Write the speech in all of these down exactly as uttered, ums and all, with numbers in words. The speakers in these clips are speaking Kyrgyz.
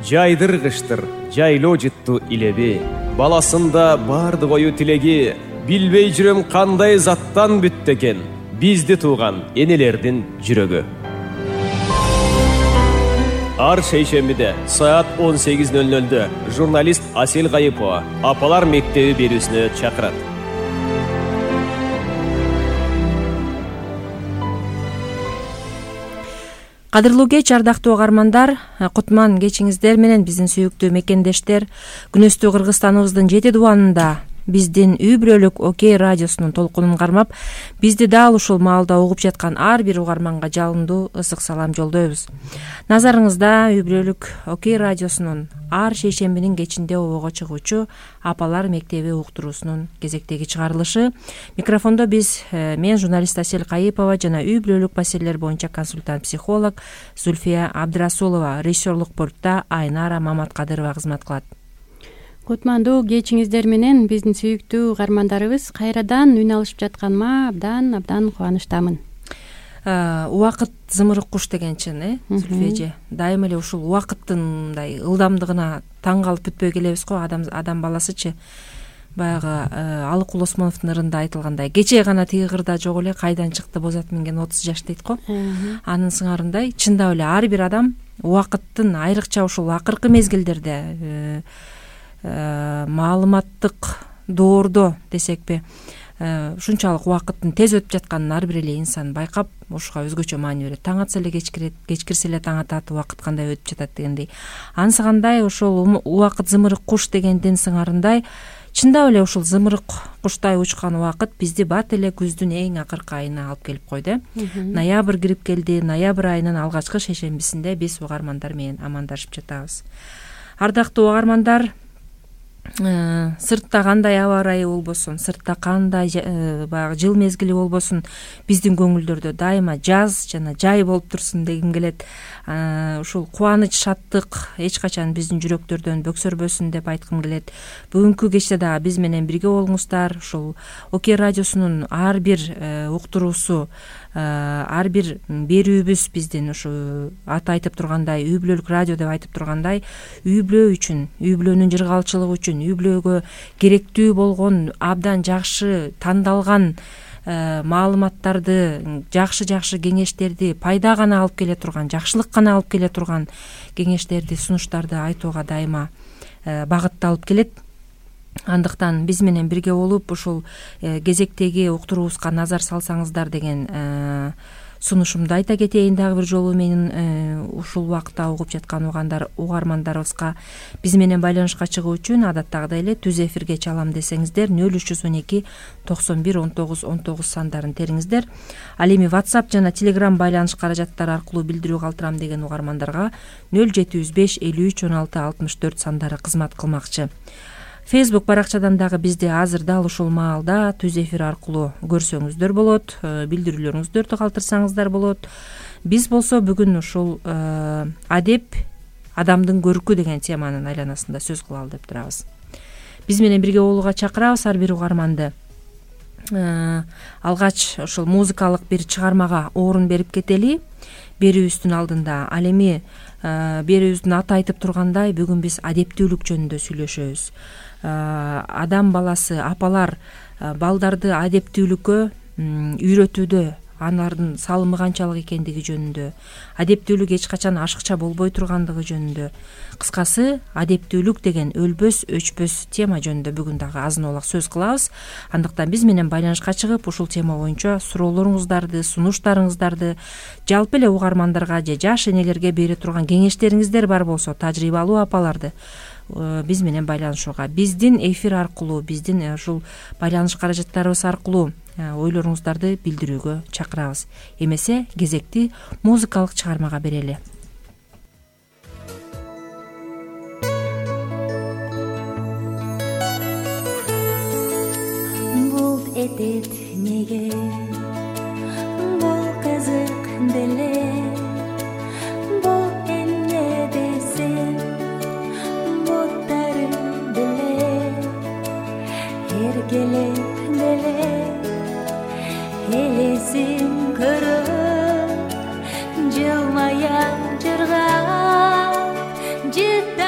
Жайдыргыштыр, жайлоо жытту илеби, баласында барды кою тилеги. Билбей жүрөм кандай заттан бүттү экен бизди тууган энелердин жүрөгү. Ар шейшембиде саат он сегиз ноль нольдө журналист Асель Кайыпова апалар мектеби берүүсүнө чакырат. Кадырлуу кеч, ардактуу угармандар, кутман кечиңиздер менен биздин сүйүктүү мекендештер. Күнөстүү Кыргызстаныбыздын жети дубанында биздин үй бүлөлүк Окей радиосунун толкунун кармап, бизди дал ушул маалда угуп жаткан ар бир угарманга жалындуу ысык салам жолдойбуз. Назарыңызда үй бүлөлүк Окей радиосунун ар шейшембинин кечинде обого чыгуучу апалар мектеби уктуруусунун кезектеги чыгарылышы. Микрофондо биз мен журналист Асель Кайыпова жана үй бүлөлүк маселелер боюнча консультант психолог Зульфия Абдрасулова, режиссерлук пультта Айнара Маматкадырова кызмат кылат. Кутмандуу кечиңиздер менен биздин сүйүктүү угармандарыбыз кайрадан үн алышып жатканыма абдан абдан кубанычтамын. Убакыт зымырык куш деген чын, э, Зульфия. Дайыма эле ушул убакыттын мындай ылдамдыгына таң калып бүтпөй келебиз го. Адам адам баласычы баягы Алыкул Осмоновдун ырында айтылгандай, кечээ гана тиги кырда жок эле кайдан чыкты бозат минген отуз жаш дейт го. Анын сыңарындай чындап эле ар бир адам убакыттын айрыкча ушул акыркы мезгилдерде маалыматтык доордо десекпи, ушунчалык убакыттын тез өтүп жатканын ар бир эле инсан байкап, ушуга өзгөчө маани берет. Таң атса эле кечкирет, кечкирсе эле таң атат, убакыт кандай өтүп жатат дегендей. Ансыгандай ошол убакыт зымырык куш дегендин сыңарындай чындап эле ушул зымырык куштай учкан убакыт бизди бат эле күздүн эң акыркы айына алып келип койду. Ноябрь кирип келди. Ноябрь айынын алгачкы шейшембисинде биз угармандар менен амандашып жатабыз. Ардактуу угармандар, сыртта кандай аба ырайы болбосун, сыртта кандай баягы жыл мезгили болбосун, биздин көңүлдөрдө дайыма жаз жана жай болуп турсун дегим келет. Ушул кубаныч, шаттык эч качан биздин жүрөктөрдөн бөксөрбөсүн деп айткым келет. Бүгүнкү кечте дагы биз менен бирге болуңуздар. Ушул Окей радиосунун ар бир уктуруусу, ар бир берүүбүз биздин ушу аты айтып тургандай үй бүлөлүк радио деп айтып тургандай, үй бүлө үчүн, үй бүлөнүн жыргалчылыгы үчүн, үй бүлөгө керектүү болгон абдан жакшы тандалган маалыматтарды, жакшы-жакшы кеңештерди, пайда гана алып келе турган, жакшылык гана алып келе турган кеңештерди, сунуштарды айтууга дайыма багытталып келет. Андыктан биз менен бирге болуп ушул кезектеги уктуруубузга назар салсаңыздар деген сунушумду айта кетейин дагы бир жолу. Менин ушул убакытта угуп жаткан угандар угармандарыбызга биз менен байланышка чыгуу үчүн адаттагыдай эле түз эфирге чалам десеңиздер нөл үч жүз он эки токсон бир он тогуз он тогуз сандарын териңиздер. Ал эми WhatsApp жана Telegram байланыш каражаттары аркылуу билдирүү калтырам деген угармандарга нөл жети жүз беш элүү үч он алты алтымыш төрт сандары кызмат кылмакчы. Facebook баракчадан дагы бизди азыр дал ушул маалда түз эфир аркылуу көрсөңүздөр болот, билдирүүлөрүңүздөрдү калтырсаңыздар болот. Биз болсо бүгүн ушул адеп адамдын көркү деген теманын айланасында сөз кылалы деп турабыз. Биз менен бирге болууга чакырабыз ар бир угарманды. Алгач ушул музыкалык бир чыгармага орун берип кетели берүүбүздүн алдында. Ал эми берүүбүздүн аты айтып тургандай, бүгүн биз адептүүлүк жөнүндө сүйлөшөбүз. Адам баласы, апалар балдарды адептүүлүккө үйрөтүүдө алардын салымы канчалык экендиги жөнүндө, адептүүлүк эч качан ашыкча болбой тургандыгы жөнүндө, кыскасы адептүүлүк деген өлбөс өчпөс тема жөнүндө бүгүн дагы азын олак сөз кылабыз. Андыктан биз менен байланышка чыгып ушул тема боюнча суроолоруңуздарды, сунуштарыңыздарды, жалпы эле угармандарга же жаш энелерге бере турган кеңештериңиздер бар болсо, тажрыйбалуу апаларды биз менен байланышууга, биздин эфир аркылуу, биздин ушул байланыш каражаттарыбыз аркылуу ойлоруңуздарды билдирүүгө чакырабыз. Эмесе кезекти музыкалык чыгармага берели. Булт этет неге, бул кызык деле, бул эмне десем, буттарым деле, эркелеп деле, элесин көрөп, жылмая жыргап, жыта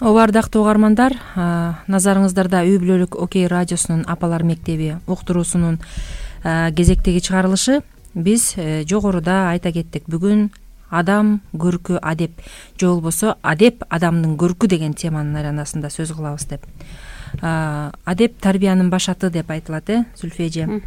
ооба, ардактуу угармандар, назарыңыздарда үй бүлөлүк Окей радиосунун Апалар мектеби уктуруусунун кезектеги чыгарылышы. Биз жогоруда айта кеттик, бүгүн адам көркү адеп же болбосо адеп адамдын көркү деген теманын айланасында сөз кылабыз деп. Адеп тарбиянын башаты деп айтылат, э Зүлфия эже.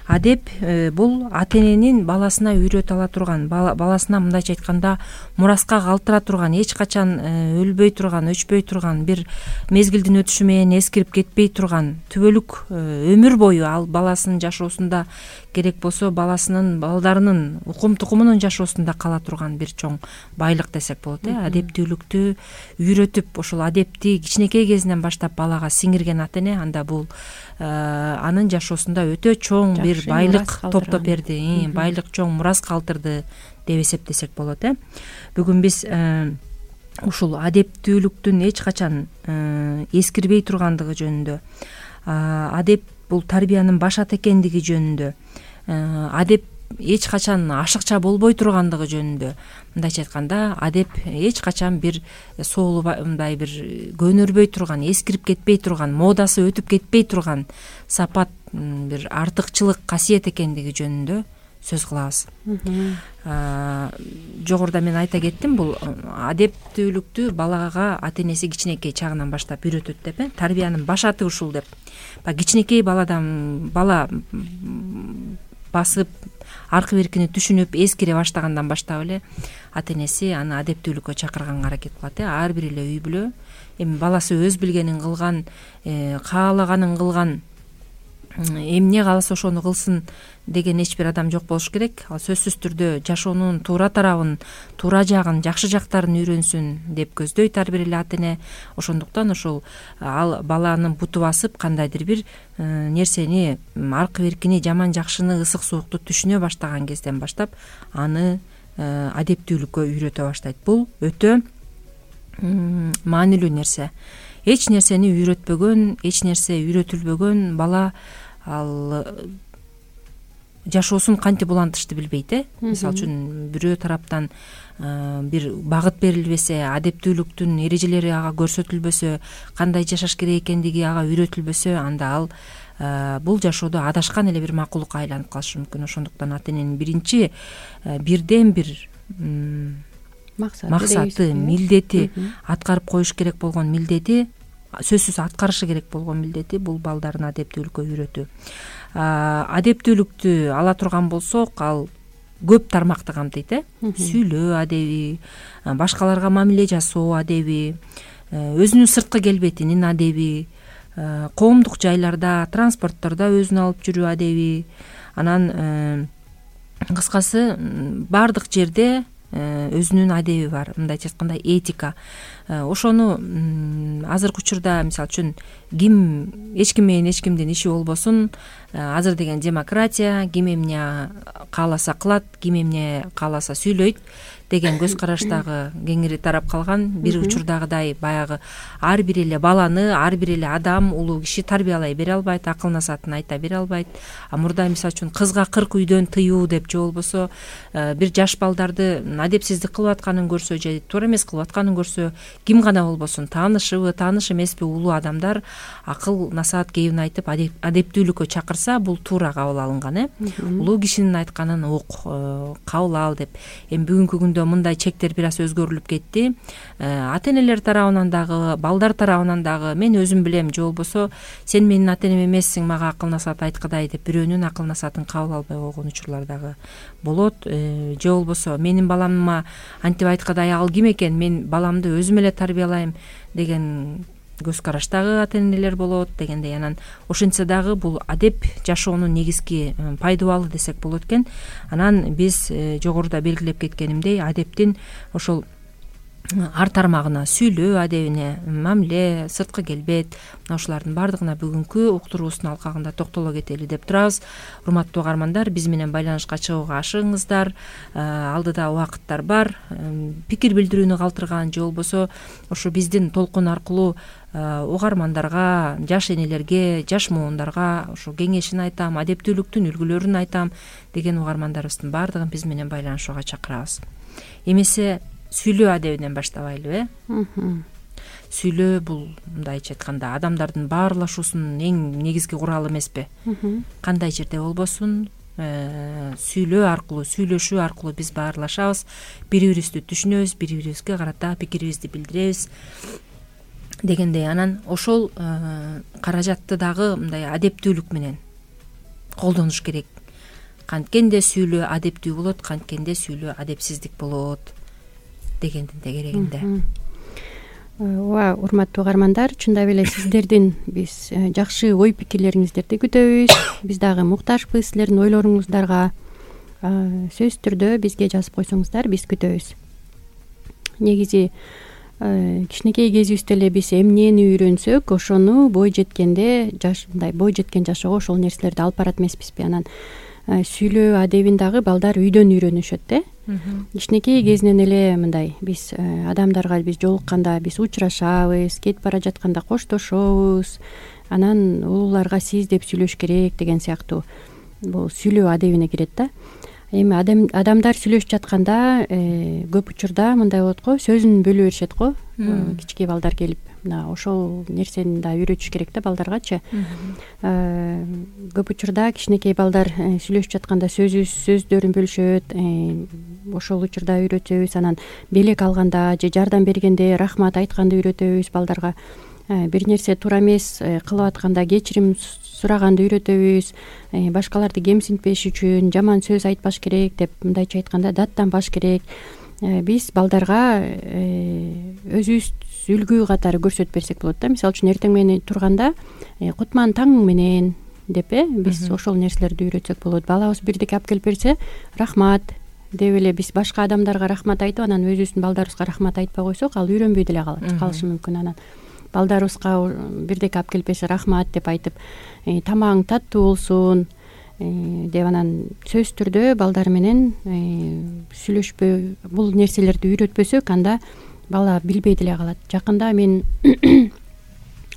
Адеп бул ата эненин баласына үйрөтө ала турган, баласына мындайча айтканда мураска калтыра турган, эч качан өлбөй турган, өчпөй турган, бир мезгилдин өтүшү менен эскирип кетпей турган, түбөлүк өмүр бою ал баласынын жашоосунда керек болсо баласынын балдарынын укум тукумунун жашоосунда кала турган бир чоң байлык десек болот, э адептүүлүктү үйрөтүп, ошол адепти кичинекей кезинен баштап балага сиңирген ата эне, анда бул анын жашоосунда өтө чоң бир байлык топтоп берди, байлык чоң мурас калтырды деп эсептесек болот, э бүгүн биз ушул адептүүлүктүн эч качан эскирбей тургандыгы жөнүндө, адеп бул тарбиянын башаты экендиги жөнүндө, адеп эч качан ашыкча болбой тургандыгы жөнүндө, мындайча айтканда адеп эч качан бир соолубай, бир көнөрбөй турган, эскирип кетпей турган, модасы өтүп кетпей турган сапат, бир артыкчылык касиет экендиги жөнүндө сөз кылабыз. Жогоруда мен айта кеттим, бул адептүүлүктү балага ата энеси кичинекей чагынан баштап үйрөтөт деп, э тарбиянын башаты ушул деп. Баягы кичинекей баладан бала басып, аркы беркини түшүнүп, эскире баштагандан баштап эле ата энеси аны адептүүлүккө чакырганга аракет кылат, э ар бир эле үй бүлө эми баласы өз билгенин кылган, каалаганын кылган, эмне кааласа ошону кылсын деген эч бир адам жок болуш керек. Ал сөзсүз түрдө жашоонун туура тарабын, туура жагын, жакшы жактарын үйрөнсүн деп көздөйт ар бир эле ата эне. Ошондуктан ошол ал баланын буту басып, кандайдыр бир нерсени, аркы беркини, жаман жакшыны, ысык суукту түшүнө баштаган кезден баштап аны адептүүлүккө үйрөтө баштайт. Бул өтө маанилүү нерсе. Эч нерсени үйрөтпөгөн, эч нерсе үйрөтүлбөгөн бала ал жашоосун кантип улантышты билбейт, э мисалы үчүн бирөө тараптан бир багыт берилбесе, адептүүлүктүн эрежелери ага көрсөтүлбөсө, кандай жашаш керек экендиги ага үйрөтүлбөсө, анда ал бул жашоодо адашкан эле бир макулукка айланып калышы мүмкүн. Ошондуктан ата эненин биринчи бирден бир максаты, милдети, аткарып коюш керек болгон милдети, сөзсүз аткарышы керек болгон милдети бул балдарын адептүүлүккө үйрөтүү. Адептүүлүктү ала турган болсок, ал көп тармакты камтыйт, э сүйлөө адеби, башкаларга мамиле жасоо адеби, өзүнүн сырткы келбетинин адеби, коомдук жайларда, транспорттордо өзүн алып жүрүү адеби, анан кыскасы баардык жерде өзүнүн адеби бар, мындайча айтканда этика. Ошону азыркы учурда мисалы үчүн ким эч ким менен эч кимдин иши болбосун, азыр деген демократия, ким эмне кааласа кылат, ким эмне кааласа сүйлөйт деген көз караштагы кеңири тарап калган. Бир учурдагыдай баягы ар бир эле баланы ар бир эле адам, улуу киши тарбиялай бере албайт, акыл насаатын айта бере албайт. А мурда мисалы үчүн кызга кырк үйдөн тыюу деп же болбосо бир жаш балдарды адепсиздик кылып атканын көрсө же туура эмес кылып атканын көрсө, ким гана болбосун, таанышыбы, тааныш эмеспи, улуу адамдар акыл насаат кебин айтып адептүүлүккө чакырса, бул туура кабыл алынган, э улуу кишинин айтканын ук, кабыл ал деп. Эми бүгүнкү күндө мындай чектер бир аз өзгөрүлүп кетти. Ата энелер тарабынан дагы, балдар тарабынан дагы, мен өзүм билем, же болбосо сен менин ата энем эмессиң, мага акыл насаат айткыдай деп бирөөнүн акыл насаатын кабыл албай койгон учурлар дагы болот. Же болбосо менин баламма антип айткыдай ал ким экен, мен баламды өзүм эле тарбиялайм деген көз караштагы ата энелер болот дегендей. Анан ошентсе дагы бул адеп жашоонун негизги пайдубалы десек болот экен. Анан биз жогоруда белгилеп кеткенимдей, адептин ошол ар тармагына, сүйлөө адебине, мамиле, сырткы келбет, мына ушулардын баардыгына бүгүнкү уктуруубуздун алкагында токтоло кетели деп турабыз. Урматтуу угармандар, биз менен байланышка чыгууга ашыгыңыздар. Алдыда убакыттар бар. Пикир билдирүүнү калтырган же болбосо ошо биздин толкун аркылуу угармандарга, жаш энелерге, жаш муундарга ошо кеңешин айтам, адептүүлүктүн үлгүлөрүн айтам деген угармандарыбыздын баардыгын биз менен байланышууга чакырабыз. Эмесе сүйлөө адебинен баштабайлыбы, э? сүйлөө бул мындайча айтканда адамдардын баарлашуусунун эң негизги куралы эмеспи? Кандай жерде болбосун сүйлөө аркылуу, сүйлөшүү аркылуу биз баарлашабыз, бири бирибизди түшүнөбүз, бири бирибизге карата пикирибизди билдиребиз дегендей. Анан ошол каражатты дагы мындай адептүүлүк менен колдонуш керек. Канткенде сүйлөө адептүү болот, канткенде сүйлөө адепсиздик болот дегендин тегерегинде. Ооба, урматтуу угармандар, чындап эле сиздердин биз жакшы ой пикирлериңиздерди күтөбүз. Биз дагы муктажбыз силердин ойлоруңуздарга. Сөзсүз түрдө бизге жазып койсоңуздар, биз күтөбүз. Негизи кичинекей кезибизде эле биз эмнени үйрөнсөк, ошону бой жеткенде жаш мындай бой жеткен жашоого ошол нерселерди алып барат эмеспизби? Анан сүйлөө адебин дагы балдар үйдөн үйрөнүшөт э. Кичинекей кезинен эле мындай биз адамдарга биз жолукканда биз учурашабыз, кетип бара жатканда коштошобуз, анан улууларга сиз деп сүйлөш керек деген сыяктуу бул сүйлөө адебине кирет да. Эми адамдар сүйлөшүп жатканда көп учурда мындай болот го, сөзүн бөлө беришет го. Кичинекей балдар келип, мына ошол нерсени да үйрөтүш керек да балдаргачы. Көп учурда кичинекей балдар сүйлөшүп жатканда сөзү сөздөрүн бөлүшөт. Ошол учурда үйрөтөбүз. Анан белек алганда же жардам бергенде рахмат айтканды үйрөтөбүз балдарга. Бир нерсе туура эмес кылып атканда кечирим сураганды үйрөтөбүз. Башкаларды кемсинтпеш үчүн жаман сөз айтпаш керек деп, мындайча айтканда даттанбаш керек. Биз балдарга өзүбүз үлгү катары көрсөтүп берсек болот да. Мисалы үчүн эртең менен турганда кутман таң менен деп э биз ошол нерселерди үйрөтсөк болот. Балабыз бирдеке алып келип берсе, рахмат деп эле биз башка адамдарга рахмат айтып, анан өзүбүздүн балдарыбызга рахмат айтпай койсок, ал үйрөнбөй деле калышы мүмкүн. Анан балдарыбызга бирдеке алып келип берсе, рахмат деп айтып, тамагың таттуу болсун деп, анан сөзсүз түрдө балдар менен сүйлөшпөй бул нерселерди үйрөтпөсөк, анда бала билбей деле калат. Жакында мен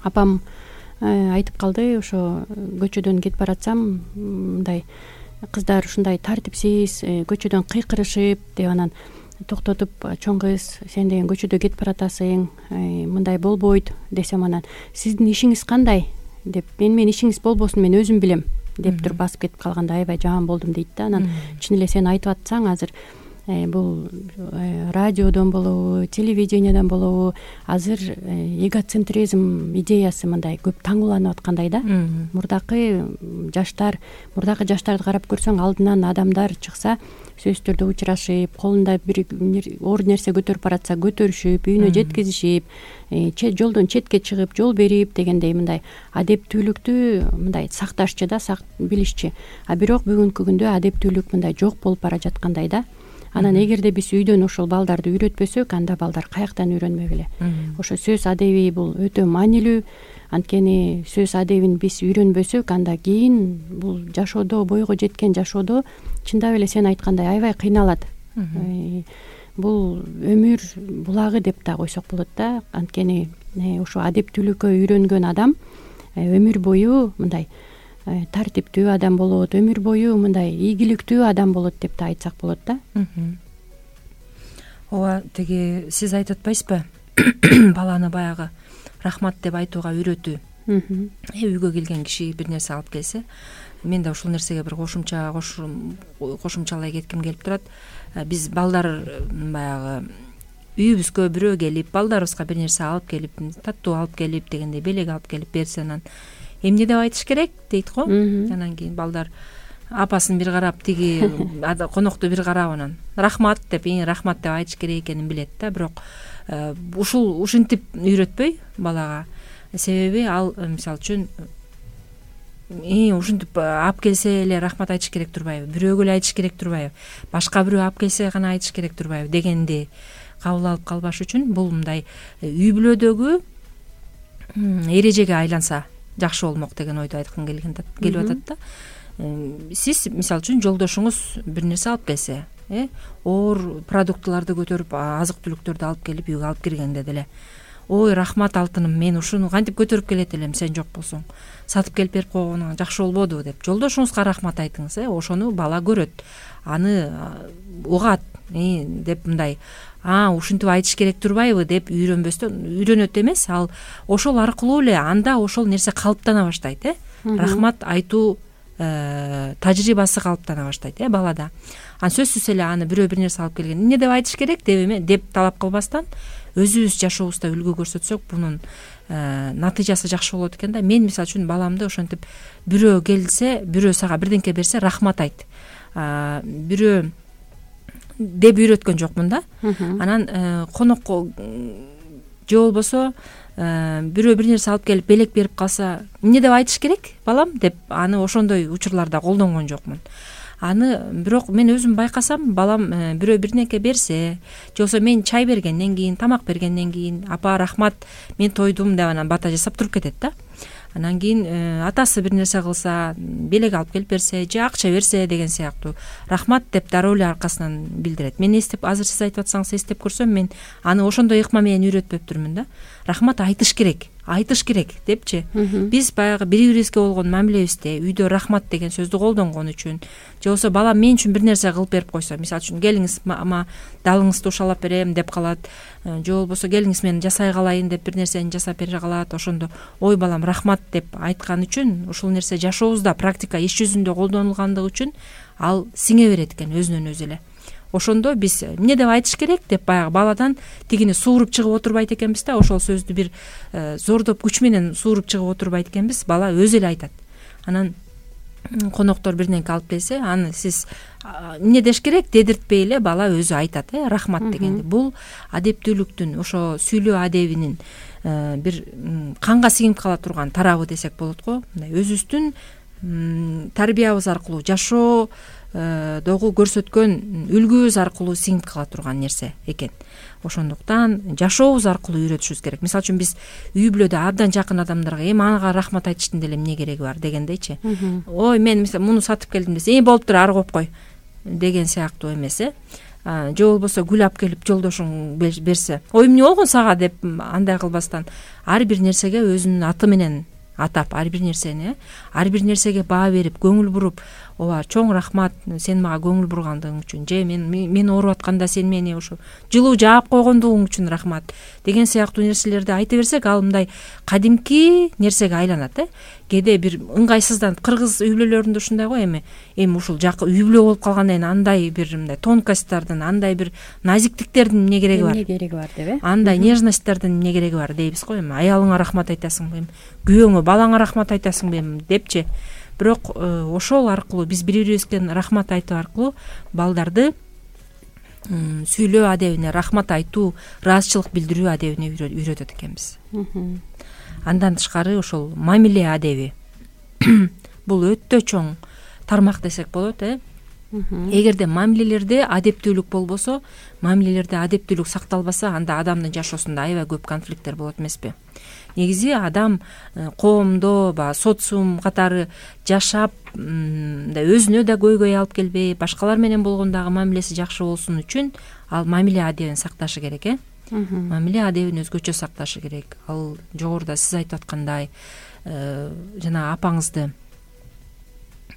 апам айтып калды, ошо көчөдөн кетип баратсам, мындай кыздар ушундай тартипсиз көчөдөн кыйкырышып деп, анан токтотуп, чоң кыз, сен деген көчөдө кетип баратасың, мындай болбойт десем, анан сиздин ишиңиз кандай деп, мен менин ишиңиз болбосун, мен өзүм билем деп туруп басып кетип калганда аябай жаман болдум дейт да. Анан чын эле сен айтып атсаң, азыр бул радиодон болобу, телевидениядан болобу, азыр эгоцентризм идеясы мындай көп тааңуланып аткандай да. Мурдакы жаштар, мурдакы жаштарды карап көрсөң, алдынан адамдар чыкса, сөзсүз түрдө учурашып, колунда бир оор нерсе көтөрүп баратса көтөрүшүп, үйүнө жеткизишип, жолдон четке чыгып, жол берип дегендей мындай адептүүлүктү мындай сакташчы да, билишчи. А бирок бүгүнкү күндө адептүүлүк мындай жок болуп бара жаткандай да. Анан эгерде биз үйдөн ошол балдарды үйрөтпөсөк, анда балдар каяктан үйрөнмөк эле. Ошо сөз адеби бул өтө маанилүү. Анткени сөз адебин биз үйрөнбөсөк, анда кийин бул жашоодо, бойго жеткен жашоодо чындап эле сен айткандай аябай кыйналат. Бул өмүр булагы деп да койсок болот да. Анткени ошо адептүүлүккө үйрөнгөн адам өмүр бою мындай тартиптүү адам болот, өмүр бою мындай ийгиликтүү адам болот деп да айтсак болот да. Ооба, тиги сиз айтып атпайсызбы? Баланы баягы рахмат деп айтууга үйрөтүү. Үйгө келген киши бир нерсе алып келсе, мен да ушул нерсеге бир кошумча кошумчалай кетким келип турат. Биз балдар баягы үйүбүзгө бирөө келип, балдарыбызга бир нерсе алып келип, таттуу алып келип дегенде, белек алып келип берсе, анан эмне деп айтыш керек дейт го. Анан кийин балдар апасын бир карап, тиги конокту бир карап, анан рахмат деп, эң рахмат деп айтыш керек экенин билет да. Бирок ушул ушинтип үйрөтпөй балага. Себеби ал мисалы үчүн ушинтип алып келсе эле рахмат айтыш керек турбайбы, бирөөгө эле айтыш керек турбайбы, башка бирөө алып келсе гана айтыш керек турбайбы дегенди кабыл алып калбаш үчүн бул мындай үй бүлөдөгү эрежеге айланса жакшы болмок деген ойду айткым келип атат да. Сиз мисалы үчүн жолдошуңуз бир нерсе алып келсе, э оор продуктыларды көтөрүп, азык түлүктөрдү алып келип үйгө алып киргенде деле, ой рахмат алтыным, мен ушуну кантип көтөрүп келет элем, сен жок болсоң, сатып келип берип койгонуңа жакшы болбоду деп жолдошуңузга рахмат айтыңыз, э ошону бала көрөт. аны угат деп мындай а ушинтип айтыш керек турбайбы деп үйрөнбөстөн үйрөнөт эмес, ал ошол аркылуу эле анда ошол нерсе калыптана баштайт э рахмат айтуу тажрыйбасы калыптана баштайт э балада. Анан сөзсүз эле аны бирөө бир нерсе алып келген эмне деп айтыш керек деп деп талап кылбастан өзүбүз жашообузда үлгү көрсөтсөк бунун натыйжасы жакшы болот экен да. Мен мисалы үчүн баламды ошентип бирөө келсе, бирөө сага бирдеңке берсе рахмат айт, бирөө деп үйрөткөн жокмун да. Анан конокко же болбосо бирөө бир нерсе алып келип белек берип калса эмне деп айтыш керек балам деп аны ошондой учурларда колдонгон жокмун. Аны бирок мен өзүм байкасам, балам бирөө бирнеке берсе же болбосо мен чай бергенден кийин, тамак бергенден кийин апа рахмат мен тойдум деп анан бата жасап туруп кетет да. Анан кийин атасы бир нерсе кылса, белек алып келип берсе же акча берсе деген сыяктуу рахмат деп дароо эле аркасынан билдирет. Мен эстеп, азыр сиз айтып атсаңыз эстеп көрсөм, мен аны ошондой ыкма менен үйрөтпөптүрмүн да. Рахмат айтыш керек, айтыш керек депчи. Биз баягы бири бирибизге болгон мамилебизде үйдө рахмат деген сөздү колдонгон үчүн же болбосо балам мен үчүн бир нерсе кылып берип койсо, мисалы үчүн келиңиз ама далыңызды ушалап берем деп калат, же болбосо келиңиз мен жасай калайын деп бир нерсени жасап бере калат, ошондо ой балам рахмат деп айткан үчүн ушул нерсе жашообузда практика иш жүзүндө колдонулгандыгы үчүн ал сиңе берет экен өзүнөн өзү эле. Ошондо биз эмне деп айтыш керек деп баягы баладан тигини сууруп чыгып отурбайт экенбиз да, ошол сөздү бир зордоп күч менен сууруп чыгып отурбайт экенбиз, бала өзү эле айтат. Анан коноктор бирдеңке алып келсе, аны сиз эмне деш керек дедиртпей эле бала өзү айтат э рахмат дегенди. Бул адептүүлүктүн, ошо сүйлөө адебинин бир канга сиңип кала турган тарабы десек болот го. Мындай өзүбүздүн тарбиябыз аркылуу, жашоо догу көрсөткөн үлгүбүз аркылуу сиңип кала турган нерсе экен. Ошондуктан жашообуз аркылуу үйрөтүшүбүз керек. Мисалы үчүн биз үй бүлөдө абдан жакын адамдарга эми ага рахмат айтыштын деле эмне кереги бар дегендейчи. Ой мен мисалы муну сатып келдим десе, э болуптур ары коюп кой деген сыяктуу эмес э. Же болбосо гүл алып келип жолдошуң берсе, ой эмне болгон сага деп андай кылбастан ар бир нерсеге өзүнүн аты менен атап, ар бир нерсени, ар бир нерсеге баа берип, көңүл буруп, ооба чоң рахмат сен мага көңүл бургандыгың үчүн, же мен мен ооруп атканда сен мени ошо жылуу жаап койгондугуң үчүн рахмат деген сыяктуу нерселерди айта берсек, ал мындай кадимки нерсеге айланат э. Кээде бир ыңгайсызданып, кыргыз үй бүлөлөрүндө ушундай го, эми эми ушул жакы үй бүлө болуп калгандан кийин андай бир мындай тонкосттордун, андай бир назиктиктердин эмне кереги бар? Эмне кереги бар деп э? Андай нежностьтордун эмне кереги бар дейбиз го, эми аялыңа рахмат айтасыңбы, эми күйөөңө, балаңа рахмат айтасыңбы эми депчи. Бирок ошол аркылуу биз бири бирибизге рахмат айтуу аркылуу балдарды сүйлөө адебине, рахмат айтуу, ыраазычылык билдирүү адебине үйрөтөт экенбиз. Андан тышкары ошол мамиле адеби бул өтө чоң тармак десек болот э. Эгерде мамилелерде адептүүлүк болбосо, мамилелерде адептүүлүк сакталбаса, анда адамдын жашоосунда аябай көп конфликттер болот эмеспи? Негизи адам коомдо, ба социум катары жашап, мындай өзүнө да көйгөй алып келбей, башкалар менен болгондагы мамилеси жакшы болсун үчүн ал мамиле адебин сакташы керек э. Мамиле адебин өзгөчө сакташы керек. Ал жогоруда сиз айтып аткандай жана апаңызды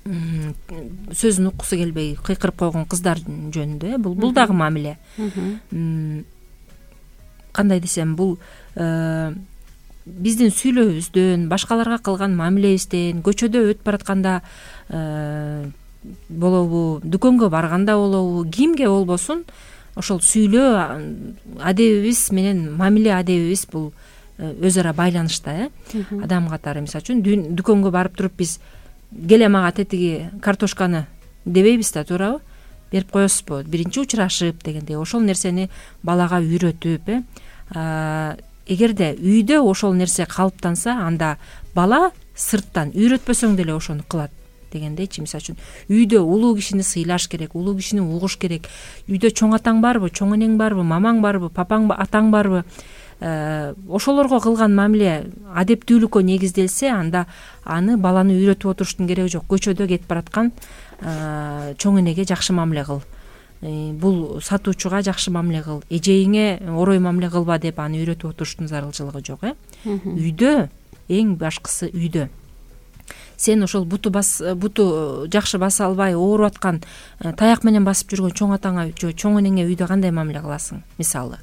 сөзүн уккусу келбей кыйкырып койгон кыздар жөнүндө, бул бул дагы мамиле. Кандай десем, бул биздин сүйлөөбүздөн, башкаларга кылган мамилебизден, көчөдө өтүп баратканда болобу, дүкөнгө барганда болобу, кимге болбосун ошол сүйлөө адебибиз менен мамиле адебибиз бул өз ара байланышта э. Адам катары, мисалы үчүн дүкөнгө барып туруп биз келе мага тетиги картошканы дебейбиз да, туурабы? Берип коесузбу? Биринчи учурашып дегендей, ошол нерсени балага үйрөтүп э. Эгерде үйдө ошол нерсе калыптанса, анда бала сырттан үйрөтпөсөң деле ошону кылат дегендейчи. Мисалы үчүн үйдө улуу кишини сыйлаш керек, улуу кишини угуш керек. Үйдө чоң атаң барбы, чоң энең барбы, мамаң барбы, папаң, атаң барбы? Ошолорго кылган мамиле адептүүлүккө негизделсе, анда аны баланы үйрөтүп отуруштун кереги жок. Көчөдө кетип бараткан чоң энеге жакшы мамиле кыл, бул сатуучуга жакшы мамиле кыл, эжейиңе орой мамиле кылба деп аны үйрөтүп отуруштун зарылчылыгы жок э. Үйдө, эң башкысы үйдө. сен ошол буту бас буту жакшы баса албай ооруп аткан таяк менен басып жүргөн чоң атаңа же чоң энеңе үйдө кандай мамиле кыласың? Мисалы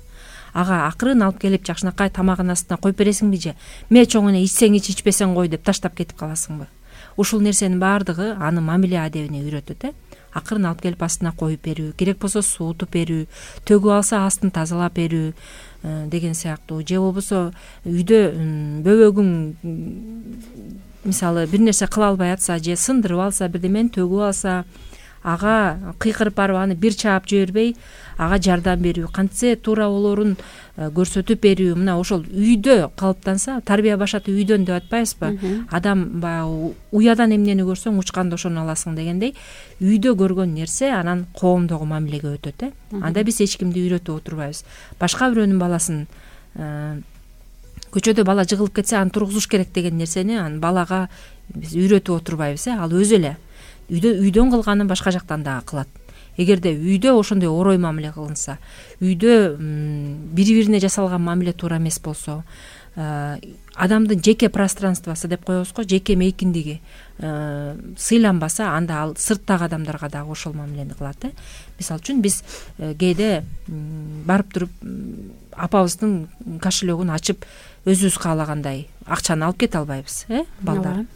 ага акырын алып келип жакшынакай тамагынын астына коюп бересиңби же ме чоң эне ичсең ич ичпесең кой деп таштап кетип каласыңбы? Ушул нерсенин баардыгы аны мамиле адебине үйрөтөт э акырын алып келип астына коюп берүү, керек болсо суутуп берүү, төгүп алса астын тазалап берүү деген сыяктуу, же болбосо үйдө бөбөгүң мисалы бир нерсе кыла албай атса же сындырып алса, бирдемени төгүп алса, ага кыйкырып барып аны бир чаап жибербей ага жардам берүү, кантсе туура болоорун көрсөтүп берүү. Мына ошол үйдө калыптанса, тарбия башаты үйдөн деп атпайбызбы? Адам баягы уядан эмнени көрсөң учканда ошону аласың дегендей, үйдө көргөн нерсе анан коомдогу мамилеге өтөт э. Анда биз эч кимди үйрөтүп отурбайбыз. Башка бирөөнүн баласын көчөдө бала жыгылып кетсе аны тургузуш керек деген нерсени анан балага биз үйрөтүп отурбайбыз э. Ал өзү эле үйдө үйдөн кылганын башка жактан дагы кылат. Эгерде үйдө ошондой орой мамиле кылынса, үйдө бири бирине жасалган мамиле туура эмес болсо, адамдын жеке пространствосу деп коебуз го, жеке мейкиндиги сыйланбаса, анда ал сырттагы адамдарга дагы ошол мамилени кылат э. Мисалы үчүн биз кээде барып туруп апабыздын кошелегин ачып өзүбүз каалагандай акчаны алып кете албайбыз э балдар.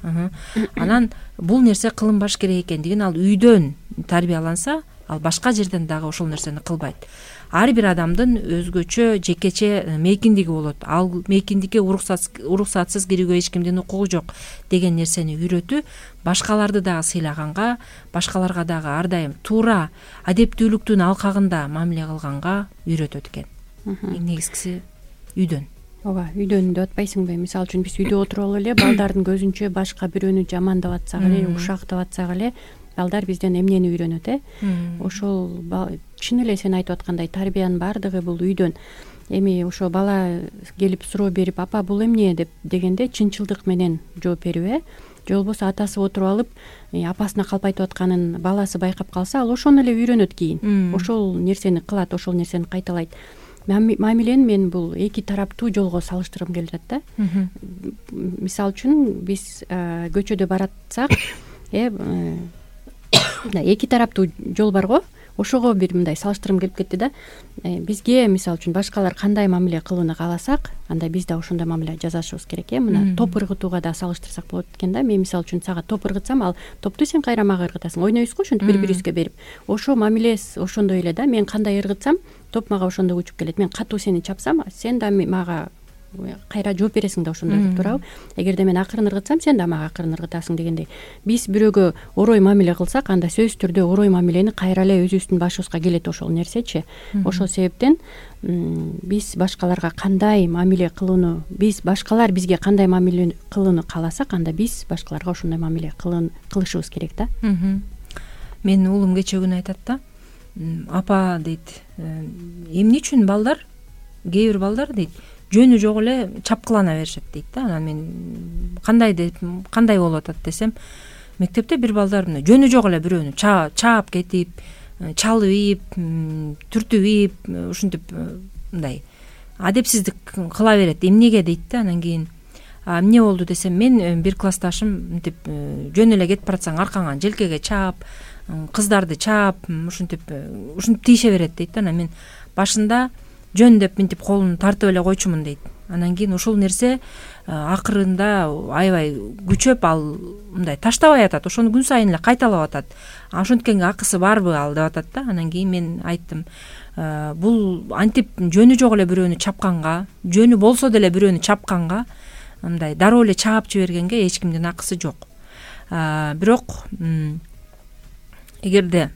Анан бул нерсе кылынбаш керек экендигин ал үйдөн тарбияланса, ал башка жерден дагы ошол нерсени кылбайт. Ар бир адамдын өзгөчө жекече мейкиндиги болот. Ал мейкиндикке уруксатсыз кирүүгө эч кимдин укугу жок деген нерсени үйрөтүү башкаларды дагы сыйлаганга, башкаларга дагы ар дайым туура адептүүлүктүн алкагында мамиле кылганга үйрөтөт экен. Эң негизгиси үйдөн. Ооба, үйдөн деп атпайсыңбы? Мисалы үчүн биз үйдө отуруп алып эле балдардын көзүнчө башка бирөөнү жамандап атсак эле, ушактап атсак эле, балдар бизден эмнени үйрөнөт э? Ошол чын эле сен айтып аткандай тарбиянын баардыгы бул үйдөн. Эми ошо бала келип суроо берип, апа бул эмне деп дегенде чынчылдык менен жооп берүү э? Же болбосо атасы отуруп алып апасына калпайтып атканын баласы байкап калса, ал ошону эле үйрөнөт кийин. Ошол нерсени кылат, ошол нерсени кайталайт. Мамилени мен бул эки тараптуу жолго салыштыргым келип атат да. Мисалы үчүн биз көчөдө баратсак, э эки тараптуу жол бар го. Ошого бир мындай салыштыргым келип кетти да. Бизге мисалы үчүн башкалар кандай мамиле кылууну кааласак, анда биз да ошондой мамиле жасашыбыз керек э. Мына топ ыргытууга да салыштырсак болот экен да. Мен мисалы үчүн сага топ ыргытсам, ал топту сен кайра мага ыргытасың. Ойнойбуз го ошентип бири-бирибизге берип. Ошо мамиле ошондой эле да. Мен кандай ыргытсам, топ мага ошондой учуп келет. Мен катуу сени чапсам, сен да мага кайра жооп бересиң да ошондой деп туурабы? Эгерде мен акырын ыргытсам, сен да мага акырын ыргытасың дегендей. Биз бирөөгө орой мамиле кылсак, анда сөзсүз түрдө орой мамилени кайра эле өзүбүздүн башыбызга келет ошол нерсечи. Ошол себептен биз башкаларга кандай мамиле кылууну, биз башкалар бизге кандай мамиле кылууну кааласак, анда биз башкаларга ошондой мамиле кылышыбыз керек да. Менин уулум кечээ күнү айтат да, апа дейт, эмне үчүн балдар, кээ бир балдар дейт, жөнү жок эле чапкылана беришет дейт да. Анан мен кандай деп кандай болуп атат десем, мектепте бир балдар мына жөнү жок эле бирөөнү чаап кетип, чалып ийип, түртүп ийип, ушинтип мындай адепсиздик кыла берет. Эмнеге дейт да. Анан кийин эмне болду десем, мен бир классташым мынтип жөн эле кетип баратсаң аркаңан желкеге чаап, кыздарды чаап, ушинтип ушинтип тийише берет дейт да. Анан мен башында жөн деп мынтип колун тартып эле койчумун дейт. Анан кийин ушул нерсе акырында аябай күчөп, ал мындай таштабай атат, ошону күн сайын эле кайталап атат. Ошонткенге акысы барбы ал деп атат да. Анан кийин мен айттым, бул антип жөнү жок эле бирөөнү чапканга, жөнү болсо деле бирөөнү чапканга, мындай дароо эле чаап жибергенге эч кимдин акысы жок. Бирок эгерде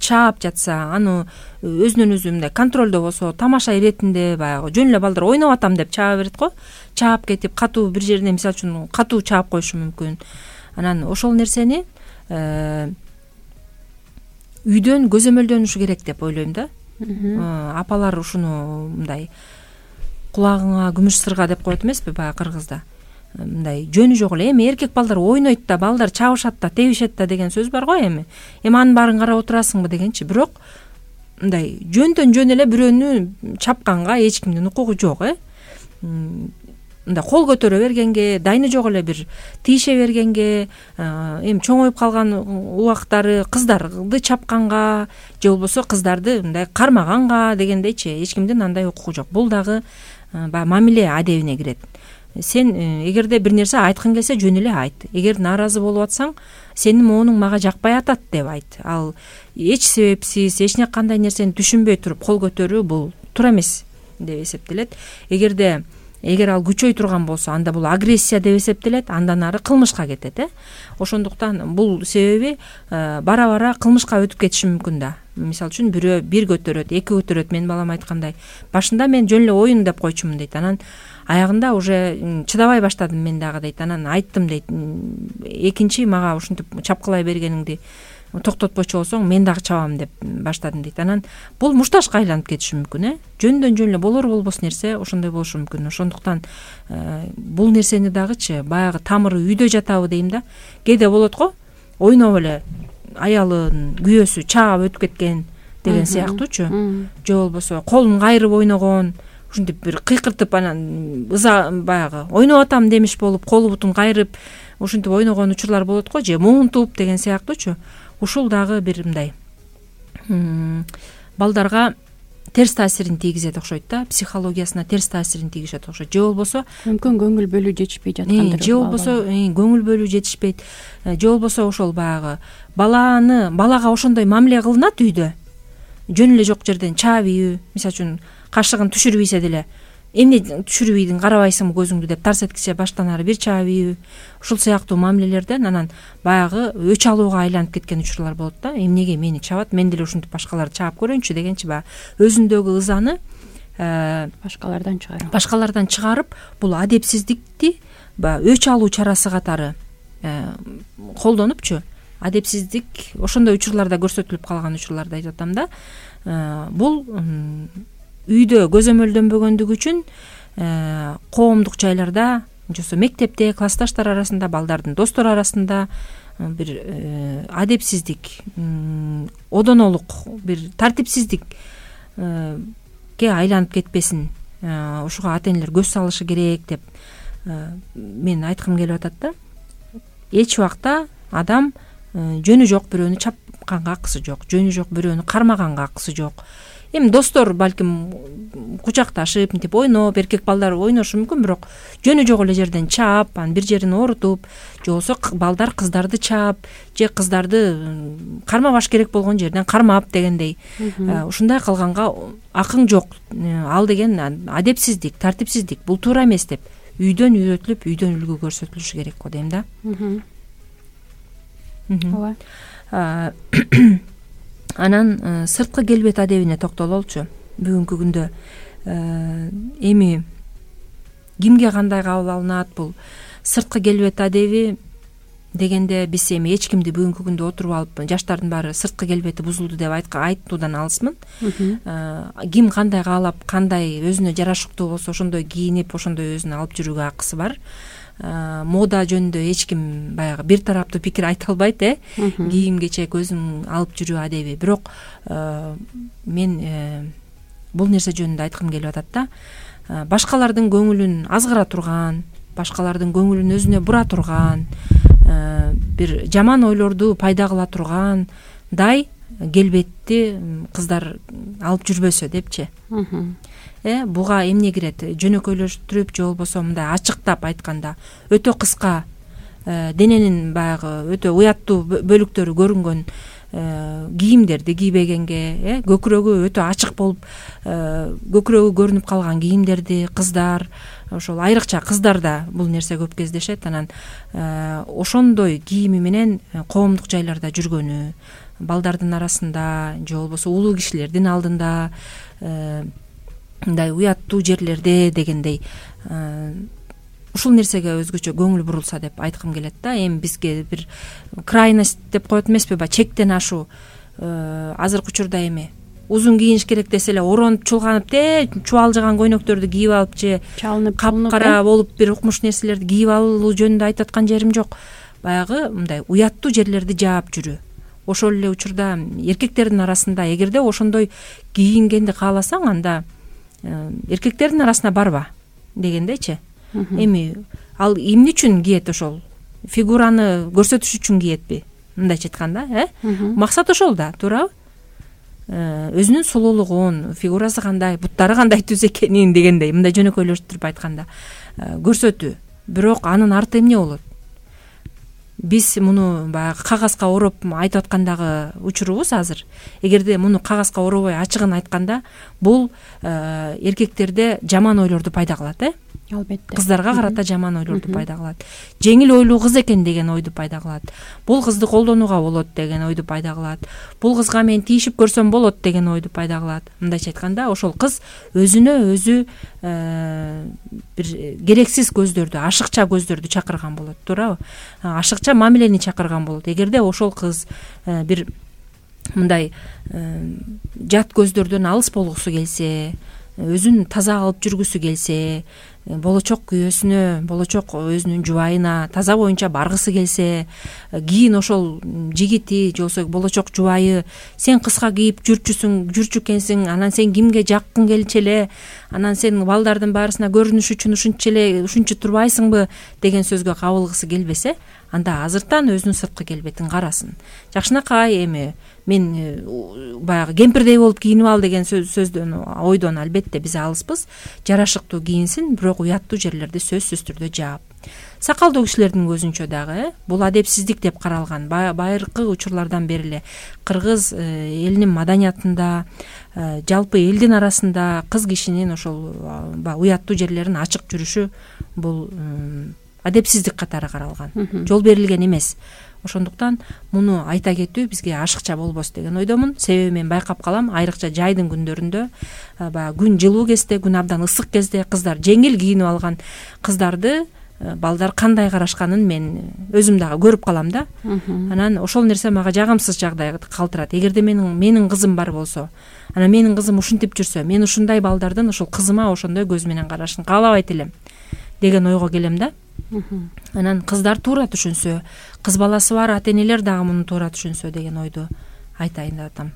чаап жатса, аны өзүнөн өзү мындай контролдо болсо, тамаша иретинде баягы жөн эле балдар ойноп атам деп чаап берет го. Чаап кетип катуу бир жерине мисалы үчүн катуу чаап коюшу мүмкүн. Анан ошол нерсени үйдөн көзөмөлдөнүшү керек деп ойлойм да. Апалар ушуну мындай кулагыңа күмүш сырга деп коет эмеспи баягы кыргызда. Мындай жөнү жок эле, эми эркек балдар ойнойт да, балдар чабышат да, тебишет да деген сөз бар го эми. Эми анын баарын карап отурасыңбы дегенчи. Бирок мындай жөндөн жөн эле бирөөнү чапканга эч кимдин укугу жок э. мындай кол көтөрө бергенге, дайны жок эле бир тийише бергенге, эми чоңоюп калган убактары кыздарды чапканга же болбосо кыздарды мындай кармаганга дегендейчи эч кимдин андай укугу жок. Бул дагы баягы мамиле адебине кирет. Сен эгерде бир нерсе айткың келсе жөн эле айт. Эгер нааразы болуп атсаң, сенин моонуң мага жакпай атат деп айт. Ал эч себепсиз, эч кандай нерсени түшүнбөй туруп кол көтөрүү бул туура эмес деп эсептелет. Эгерде эгер ал күчөй турган болсо, анда бул агрессия деп эсептелет, андан ары кылмышка кетет. э Ошондуктан бул себеби бара бара кылмышка өтүп кетиши мүмкүн да. Мисалы үчүн бирөө бир көтөрөт, эки көтөрөт. Менин балам айткандай, башында мен жөн эле оюн деп койчумун дейт. Анан аягында уже чыдабай баштадым мен дагы дейт. Анан айттым дейт, экинчи мага ушинтип чапкылай бергениңди токтотпочу болсоң мен дагы чабам деп баштадым дейт. Анан бул муштажга айланып кетиши мүмкүн. э Жөндөн жөн эле болор болбос нерсе ошондой болушу мүмкүн. Ошондуктан бул нерсени дагычы баягы тамыры үйдө жатабы дейм да. Кээде болот го, ойноп эле аялын күйөөсү чаап өтүп кеткен деген сыяктуучу. Же болбосо колун кайрып ойногон, ушинтип бир кыйкыртып анан ыза баягы ойноп атам демиш болуп колу бутун кайрып ушинтип ойногон учурлар болот го, же муунтуп деген сыяктуучу. Ушул дагы бир мындай балдарга терс таасирин тийгизет окшойт да, психологиясына терс таасирин тийгизет окшойт. Же болбосо мүмкүн көңүл бөлүү жетишпей жаткандыр. Же болбосо көңүл бөлүү жетишпейт. Же болбосо ошол баягы баланы балага ошондой мамиле кылынат үйдө. Жөн эле жок жерден чаап ийүү, мисалы үчүн кашыгын түшүрбөйсө деле эмне түшүрбөйдүң, карабайсыңбы көзүңдү деп тарс эткисе баштан ары бир чаап ийүү. Ушул сыяктуу мамилелерден анан баягы өч алууга айланып кеткен учурлар болот да. Эмнеге мени чабат, мен деле ушинтип башкаларды чаап көрөйүнчү дегенчи баягы өзүндөгү ызаны башкалардан чыгарып башкалардан чыгарып бул адепсиздикти баягы өч алуу чарасы катары колдонупчу. Адепсиздик ошондой учурларда көрсөтүлүп калган учурларды айтып атам да. Бул үйдө көзөмөлдөнбөгөндүгү үчүн коомдук жайларда, же болбосо мектепте, классташтар арасында, балдардын достору арасында бир адепсиздик, одонолук, бир тартипсиздикке айланып кетпесин, ушуга ата энелер көз салышы керек деп мен айткым келип атат да. Эч убакта адам жөнү жок бирөөнү чапканга акысы жок, жөнү жок бирөөнү кармаганга акысы жок. Эми достор балким кучакташып, мынтип ойноп, эркек балдар ойношу мүмкүн, бирок жөнү жок эле жерден чаап, анан бир жерин оорутуп, же болбосо балдар кыздарды чаап, же кыздарды кармабаш керек болгон жерден кармап дегендей. Ушундай кылганга акың жок. Ал деген адепсиздик, тартипсиздик. Бул туура эмес деп үйдөн үйрөтүлүп, үйдөн үлгү көрсөтүлүшү керек го дейм да. Ооба. Анан сырткы келбет адебине токтололчу. Бүгүнкү күндө эми кимге кандай кабыл алынат бул сырткы келбет адеби дегенде биз эми эч кимди бүгүнкү күндө отуруп алып жаштардын баары сырткы келбети бузулду деп айтуудан алысмын. Ким кандай каалап, кандай өзүнө жарашыктуу болсо ошондой кийинип, ошондой өзүнө алып жүрүүгө акысы бар. Мода жөнүндө эч ким баягы бир тараптуу пикир айта албайт, э кийим кечек өзүң алып жүрүү адеби. Бирок мен бул нерсе жөнүндө айткым келип атат да. Башкалардын көңүлүн азгыра турган, башкалардын көңүлүн өзүнө бура турган, бир жаман ойлорду пайда кыла тургандай келбетти кыздар алып жүрбөсө депчи. Э буга эмне кирет? Жөнөкөйлөштүрүп, же болбосо мындай ачыктап айтканда өтө кыска дененин баягы өтө уяттуу бөлүктөрү көрүнгөн кийимдерди кийбегенге, э көкүрөгү өтө ачык болуп, көкүрөгү көрүнүп калган кийимдерди кыздар, ошол айрыкча кыздарда бул нерсе көп кездешет. Анан ошондой кийими менен коомдук жайларда жүргөнү, балдардын арасында же болбосо улуу кишилердин алдында, мындай уяттуу жерлерде дегендей ушул нерсеге өзгөчө көңүл бурулса деп айткым келет да. Эми бизге бир крайность деп коет эмеспи, баягы чектен ашуу. Азыркы учурда эми узун кийиниш керек десе эле оронуп чулганып, те чубалжыган көйнөктөрдү кийип алып, же чалынып капкара болуп бир укмуш нерселерди кийип алуу жөнүндө айтып аткан жерим жок. Баягы мындай уяттуу жерлерди жаап жүрүү. Ошол эле учурда эркектердин арасында эгерде ошондой кийингенди кааласаң, анда эркектердин арасына барба дегендейчи. Эми ал эмне үчүн кийет? Ошол фигураны көрсөтүш үчүн киетпи? Мындайча айтканда, э? Максат ошол да, туурабы? Өзүнүн сулуулугун, фигурасы кандай, буттары кандай түз экенин дегендей, мындай жөнөкөйлөштүрүп айтканда көрсөтүү. Бирок анын арты эмне болот? Биз муну баягы кагазга ороп айтып аткандагы учурубуз азыр. Эгерде муну кагазга оробой ачыгын айтканда, бул эркектерде жаман ойлорду пайда кылат, э? Албетте. Кыздарга карата жаман ойлорду пайда кылат. Жеңил ойлуу кыз экен деген ойду пайда кылат. Бул кызды колдонууга болот деген ойду пайда кылат. Бул кызга мен тийишип көрсөм болот деген ойду пайда кылат. Мындайча айтканда, ошол кыз өзүнө өзү бир керексиз көздөрдү, ашыкча көздөрдү чакырган болот, туурабы? Ашыкча мамилени чакырган болот. Эгерде ошол кыз бир мындай жат көздөрдөн алыс болгусу келсе, өзүн таза алып жүргүсү келсе, болочок күйөөсүнө, болочок өзүнүн жубайына таза боюнча баргысы келсе, кийин ошол жигити же болбосо болочок жубайы сен кыска кийип жүрчүсүң, жүрчү экенсиң, анан сен кимге жаккың келчү эле, анан сен балдардын баарысына көрүнүш үчүн ушунча эле ушунча турбайсыңбы деген сөзгө кабылгысы келбесе, анда азыртан өзүнүн сырткы келбетин карасын. Жакшынакай эми мен баягы кемпирдей болуп кийинип ал деген сөздөн, ойдон албетте биз алыспыз. Жарашыктуу кийинсин, бирок уяттуу жерлерди сөзсүз түрдө жаап. Сакалдуу кишилердин көзүнчө дагы бул адепсиздик деп каралган. Байыркы учурлардан бери эле кыргыз элинин маданиятында, жалпы элдин арасында кыз кишинин ошол уяттуу жерлерин ачык жүрүшү бул адепсиздик катары каралган. Жол берилген эмес. Ошондуктан муну айта кетүү бизге ашыкча болбос деген ойдомун. Себеби мен байкап калам, айрыкча жайдын күндөрүндө, баягы күн жылуу кезде, күн абдан ысык кезде кыздар жеңил кийинип алган кыздарды балдар кандай карашканын мен өзүм дагы көрүп калам да. Анан ошол нерсе мага жагымсыз жагдай калтырат. Эгерде менин менин кызым бар болсо, анан менин кызым ушинтип жүрсө, мен ушундай балдардын ошол кызыма ошондой көз менен карашын каалабайт элем деген ойго келем да. Анан кыздар туура түшүнсө, кыз баласы бар ата энелер дагы муну туура түшүнсө деген ойду айтайын деп атам.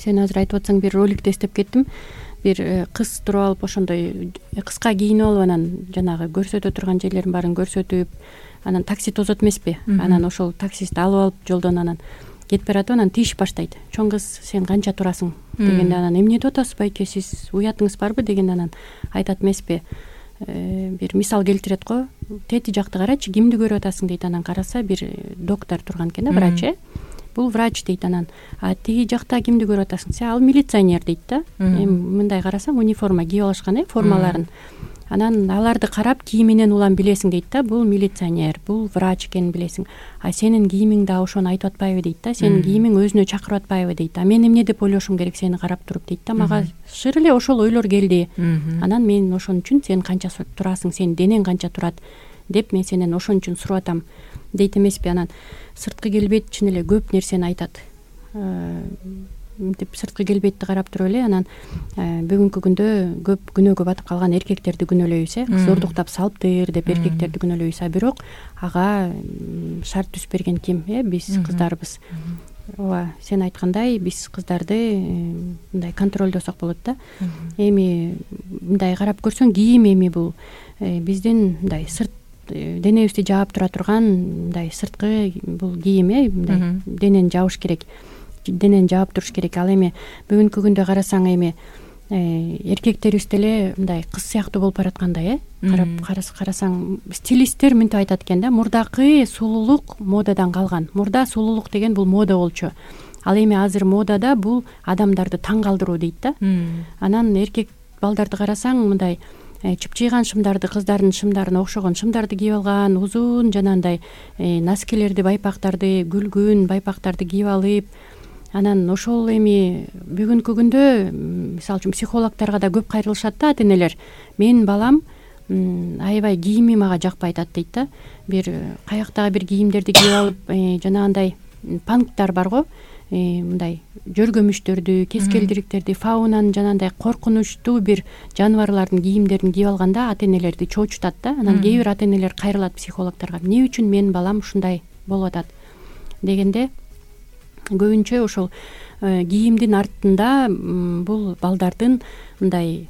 Сен азыр айтып атсаң, бир роликти эстеп кеттим. Бир кыз туруп алып ошондой кыска кийинип алып, анан жанагы көрсөтө турган жерлерин баарын көрсөтүп, анан такси тозот эмеспи? Анан ошол таксисти алып алып жолдон анан кетип баратып, анан тийишип баштайт. Чоң кыз, сен канча турасың дегенде, анан эмне деп атасыз байке, сиз уятыңыз барбы дегенде, анан айтат эмеспи? Бир мисал келтирет го. Тети жакты карачы, кимди көрүп атасың дейт. Анан караса, бир доктор турган экен да, врач, э? Бул врач дейт. Анан а тиги жакта кимди көрүп атасың? Сен ал милиционер дейт да. Эми мындай карасаң, униформа кийип алышкан, э, формаларын. Анан аларды карап кийиминен улам билесиң дейт да, бул милиционер, бул врач экенин билесиң. А сенин кийимиң да ошону айтып атпайбы дейт да, сенин кийимиң өзүнө чакырып атпайбы дейт. А мен эмне деп ойлошум керек сени карап туруп дейт да. Мага шыр эле ошол ойлор келди. Анан мен ошон үчүн сен канча турасың, сенин денең канча турат деп мен сенен ошон үчүн сурап атам дейт эмеспи? Анан сырткы келбет чын эле көп нерсени айтат. Мынтип сырткы келбетти карап туруп эле анан бүгүнкү күндө көп күнөөгө батып калган эркектерди күнөөлөйбүз, э, зордуктап салыптыр деп эркектерди күнөөлөйбүз. А бирок ага шарт түзүп берген ким? Э, биз кыздарбыз. Ооба, сен айткандай биз кыздарды мындай контролдосок болот да. Эми мындай карап көрсөң, кийим эми бул биздин мындай сырт денебизди жаап тура турган мындай сырткы бул кийим, э, мындай денени жаабыш керек. Денени жаап туруш керек. Ал эми бүгүнкү күндө карасаң, эми эркектерибиз деле мындай кыз сыяктуу болуп бараткандай, э, карап карасаң, стилисттер мынтип айтат экен да, мурдакы сулуулук модадан калган. Мурда сулуулук деген бул мода болчу. Ал эми азыр модада бул адамдарды таң калтыруу дейт да. Анан эркек балдарды карасаң, мындай чыпчыйган шымдарды, кыздардын шымдарына окшогон шымдарды кийип алган, узун жанагындай носкилерди, байпактарды, күлгүн байпактарды кийип алып, анан ошол эми бүгүнкү күндө мисалы үчүн психологторго да көп кайрылышат да ата энелер. Менин балам аябай кийими мага жакпай атат дейт да. Бир каяктагы бир кийимдерди кийип алып, жанагындай панктар бар го, мындай жөргөмүчтөрдү, кескелдириктерди, фаунанын жанагындай коркунучтуу бир жаныбарлардын кийимдерин кийип алганда ата энелерди чоочутат да. Анан кээ бир ата энелер кайрылат психологторго. Эмне үчүн менин балам ушундай болуп атат дегенде, көбүнчө ошол кийимдин артында бул балдардын мындай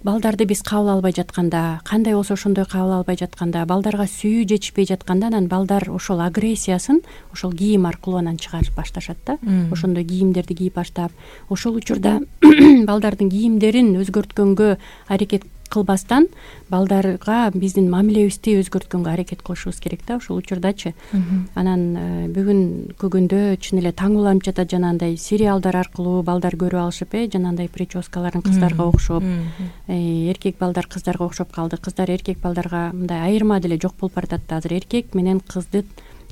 балдарды биз кабыл албай жатканда, кандай болсо ошондой кабыл албай жатканда, балдарга сүйүү жетишпей жатканда, анан балдар ошол агрессиясын ошол кийим аркылуу анан чыгарып башташат да. Ошондой кийимдерди кийип баштап, ошол учурда балдардын кийимдерин өзгөрткөнгө аракет кылбастан балдарга биздин мамилебизди өзгөрткөнгө аракет кылышыбыз керек да. Ошол учурдачы анан бүгүн күгүндө чын эле таң уланып жатат, жанагындай сериалдар аркылуу балдар көрүп алышып, э жанагындай прическаларын кыздарга окшоп, эркек балдар кыздарга окшоп калды, кыздар эркек балдарга мындай айырма деле жок болуп баратат да. Азыр эркек менен кыздын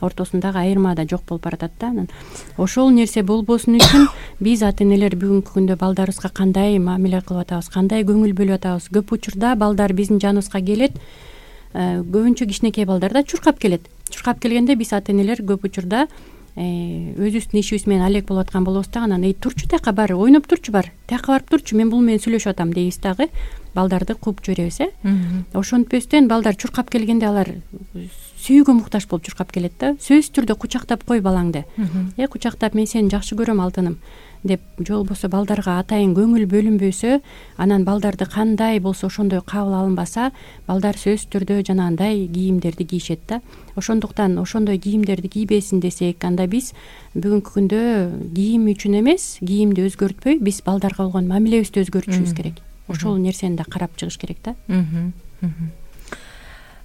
ортосундагы айырма да жок болуп баратат да. Анан ошол нерсе болбосун үчүн биз ата энелер бүгүнкү күндө балдарыбызга кандай мамиле кылып атабыз, кандай көңүл бөлүп атабыз. Көп учурда балдар биздин жаныбызга келет, көбүнчө кичинекей балдар да чуркап келет. Чуркап келгенде биз ата энелер көп учурда өзүбүздүн ишибиз менен алек болуп аткан болобуз да. Анан эй турчу тияка бар, ойноп турчу бар, тияка барып турчу, мен бул менен сүйлөшүп атам дейбиз дагы балдарды кууп жиберебиз, э. Ошентпестен балдар чуркап келгенде алар сүйүүгө муктаж болуп чуркап келет да. Сөзсүз түрдө кучактап кой балаңды, э кучактап, мен сени жакшы көрөм алтыным деп, же болбосо балдарга атайын көңүл бөлүнбөсө, анан балдарды кандай болсо ошондой кабыл алынбаса, балдар сөзсүз түрдө жанагындай кийимдерди кийишет да. Ошондуктан ошондой кийимдерди кийбесин десек, анда биз бүгүнкү күндө кийим үчүн эмес, кийимди өзгөртпөй, биз балдарга болгон мамилебизди өзгөртүшүбүз керек. Ошол нерсени да карап чыгыш керек да.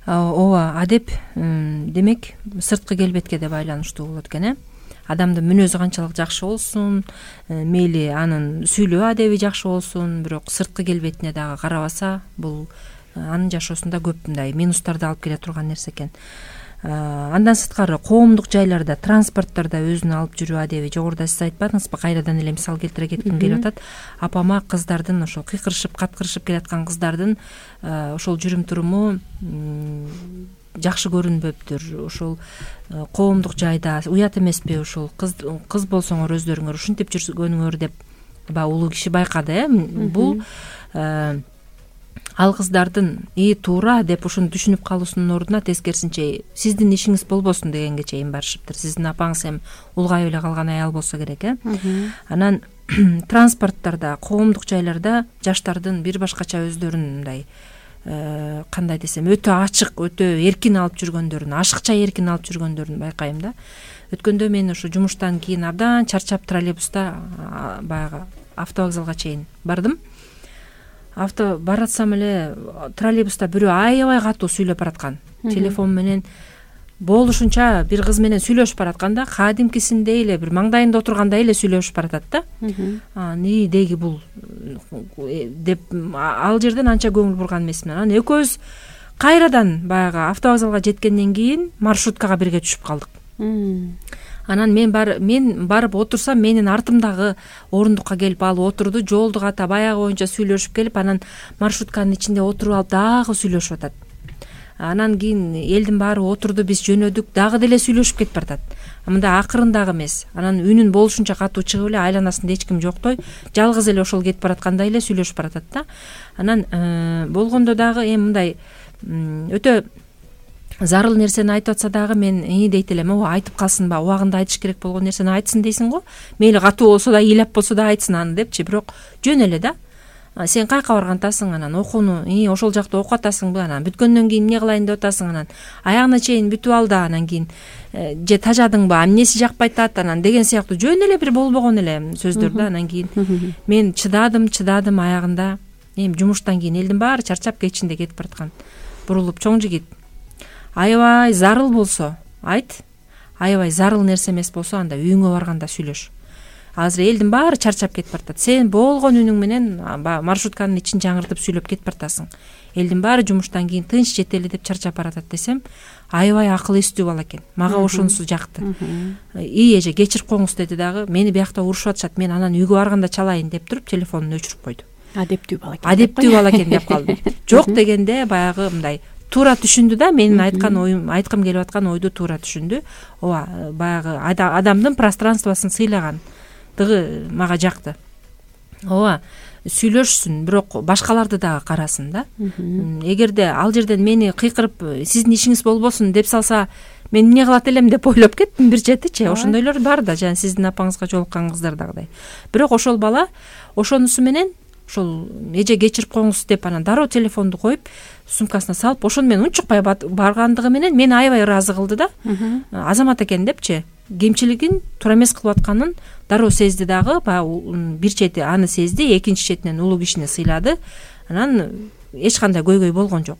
Ооба, адеп демек сырткы келбетке да байланыштуу болот экен, э. Адамдын мүнөзү канчалык жакшы болсун, мейли анын сүйлөө адеби жакшы болсун, бирок сырткы келбетине дагы карабаса, бул анын жашоосунда көп мындай минустарды алып келе турган нерсе экен. Андан сырткары коомдук жайларда, транспорттордо өзүн алып жүрүү адеби, жогоруда сиз айтпадыңызбы, кайрадан эле мисал келтире кетким келип атат. Апама кыздардын ошол кыйкырышып, каткырышып келаткан кыздардын ошол жүрүм туруму жакшы көрүнбөптүр. Ошол коомдук жайда уят эмеспи, ошол кыз кыз болсоңор өздөрүңөр ушинтип жүргөнүңөр деп баягы улуу киши байкады, э. Бул ал кыздардын и туура деп ушуну түшүнүп калуусунун ордуна тескерисинче сиздин ишиңиз болбосун дегенге чейин барышыптыр. Сиздин апаңыз эми улгайып эле калган аял болсо керек, э. Анан транспорттордо, коомдук жайларда жаштардын бир башкача өздөрүн мындай кандай десем, өтө ачык, өтө эркин алып жүргөндөрүн, ашыкча эркин алып жүргөндөрүн байкайм да. Өткөндө мен ошо жумуштан кийин абдан чарчап троллейбуста баягы автовокзалга чейин бардым. Авто баратсам эле троллейбуста бирөө аябай катуу сүйлөп бараткан. Телефон менен болушунча бир кыз менен сүйлөшүп бараткан да, кадимкисиндей эле бир маңдайында отургандай эле сүйлөшүп баратат да. Ни деги бул деп ал жерден анча көңүл бурган эмесмин. Анан экөөбүз кайрадан баягы автовокзалга жеткенден кийин маршруткага бирге түшүп калдык. Анан мен бар мен барып отурсам, менин артымдагы орундукка келип алып отурду, жолду ката баягы боюнча сүйлөшүп келип, анан маршрутканын ичинде отуруп алып дагы сүйлөшүп атат. Анан кийин элдин баары отурду, биз жөнөдүк, дагы деле сүйлөшүп кетип баратат. Мындай акырындагы эмес. Анан үнүн болушунча катуу чыгып эле, айланасында эч ким жоктой, жалгыз эле ошол кетип бараткандай эле сүйлөшүп баратат да. Анан болгондо дагы эми мындай өтө зарыл нерсени айтып атса дагы мен и дейт элем, ооба айтып калсынбы, убагында айтыш керек болгон нерсени айтсын дейсиң го. Мейли катуу болсо да, ыйлап болсо да айтсын аны депчи, бирок жөн эле да. Сен кайка баргантасың, анан окууну и ошол жакта окуп атасыңбы, анан бүткөндөн кийин эмне кылайын деп атасың, анан аягына чейин бүтүп ал да, анан кийин же тажадыңбы, эмнеси жакпай атат, анан деген сыяктуу жөн эле бир болбогон эле сөздөр да. Анан кийин мен чыдадым, чыдадым, аягында эми жумуштан кийин элдин баары чарчап кечинде кетип бараткан. Бурулуп, чоң жигит, аябай зарыл болсо айт, аябай зарыл нерсе эмес болсо анда үйүңө барганда сүйлөш. Азыр элдин баары чарчап кетип баратат. Сен болгон үнүң менен маршрутканын ичин жаңыртып сүйлөп кетип баратасың. Элдин баары жумуштан кийин тынч жетели деп чарчап баратат десем, аябай акыл эстүү бала экен. Мага ошонусу жакты. И эже кечирип коңуз деди дагы. Мени биякта урушуп атышат, мен анан үйгө барганда чалайын деп туруп телефонун өчүрүп койду. Адептүү бала экен. Адептүү бала экен деп калдым. Жок дегенде баягы мындай туура түшүндү да, менин айткан оюм, айткым келип аткан ойду туура түшүндү. Ооба, баягы адамдын пространствосын сыйлаган мага жакты. Ооба, сүйлөшсүн, бирок башкаларды дагы карасын да. Эгерде ал жерден мени кыйкырып, сиздин ишиңиз болбосун деп салса, мен эмне кылат элем деп ойлоп кеттим бир четичи. Ошондойлор бар да, жана сиздин апаңызга жолуккан кыздардагыдай. Бирок ошол бала ошонусу менен ошол эже кечирип коюңуз деп анан дароо телефонду коюп сумкасына салып ошону мен унчукпай баргандыгы менен мени аябай ыраазы кылды да. Азамат экен депчи кемчилигин туура эмес кылып атканын дароо сезди дагы. Баягы бир чети аны сезди, экинчи четинен улуу кишини сыйлады. Анан эч кандай көйгөй болгон жок.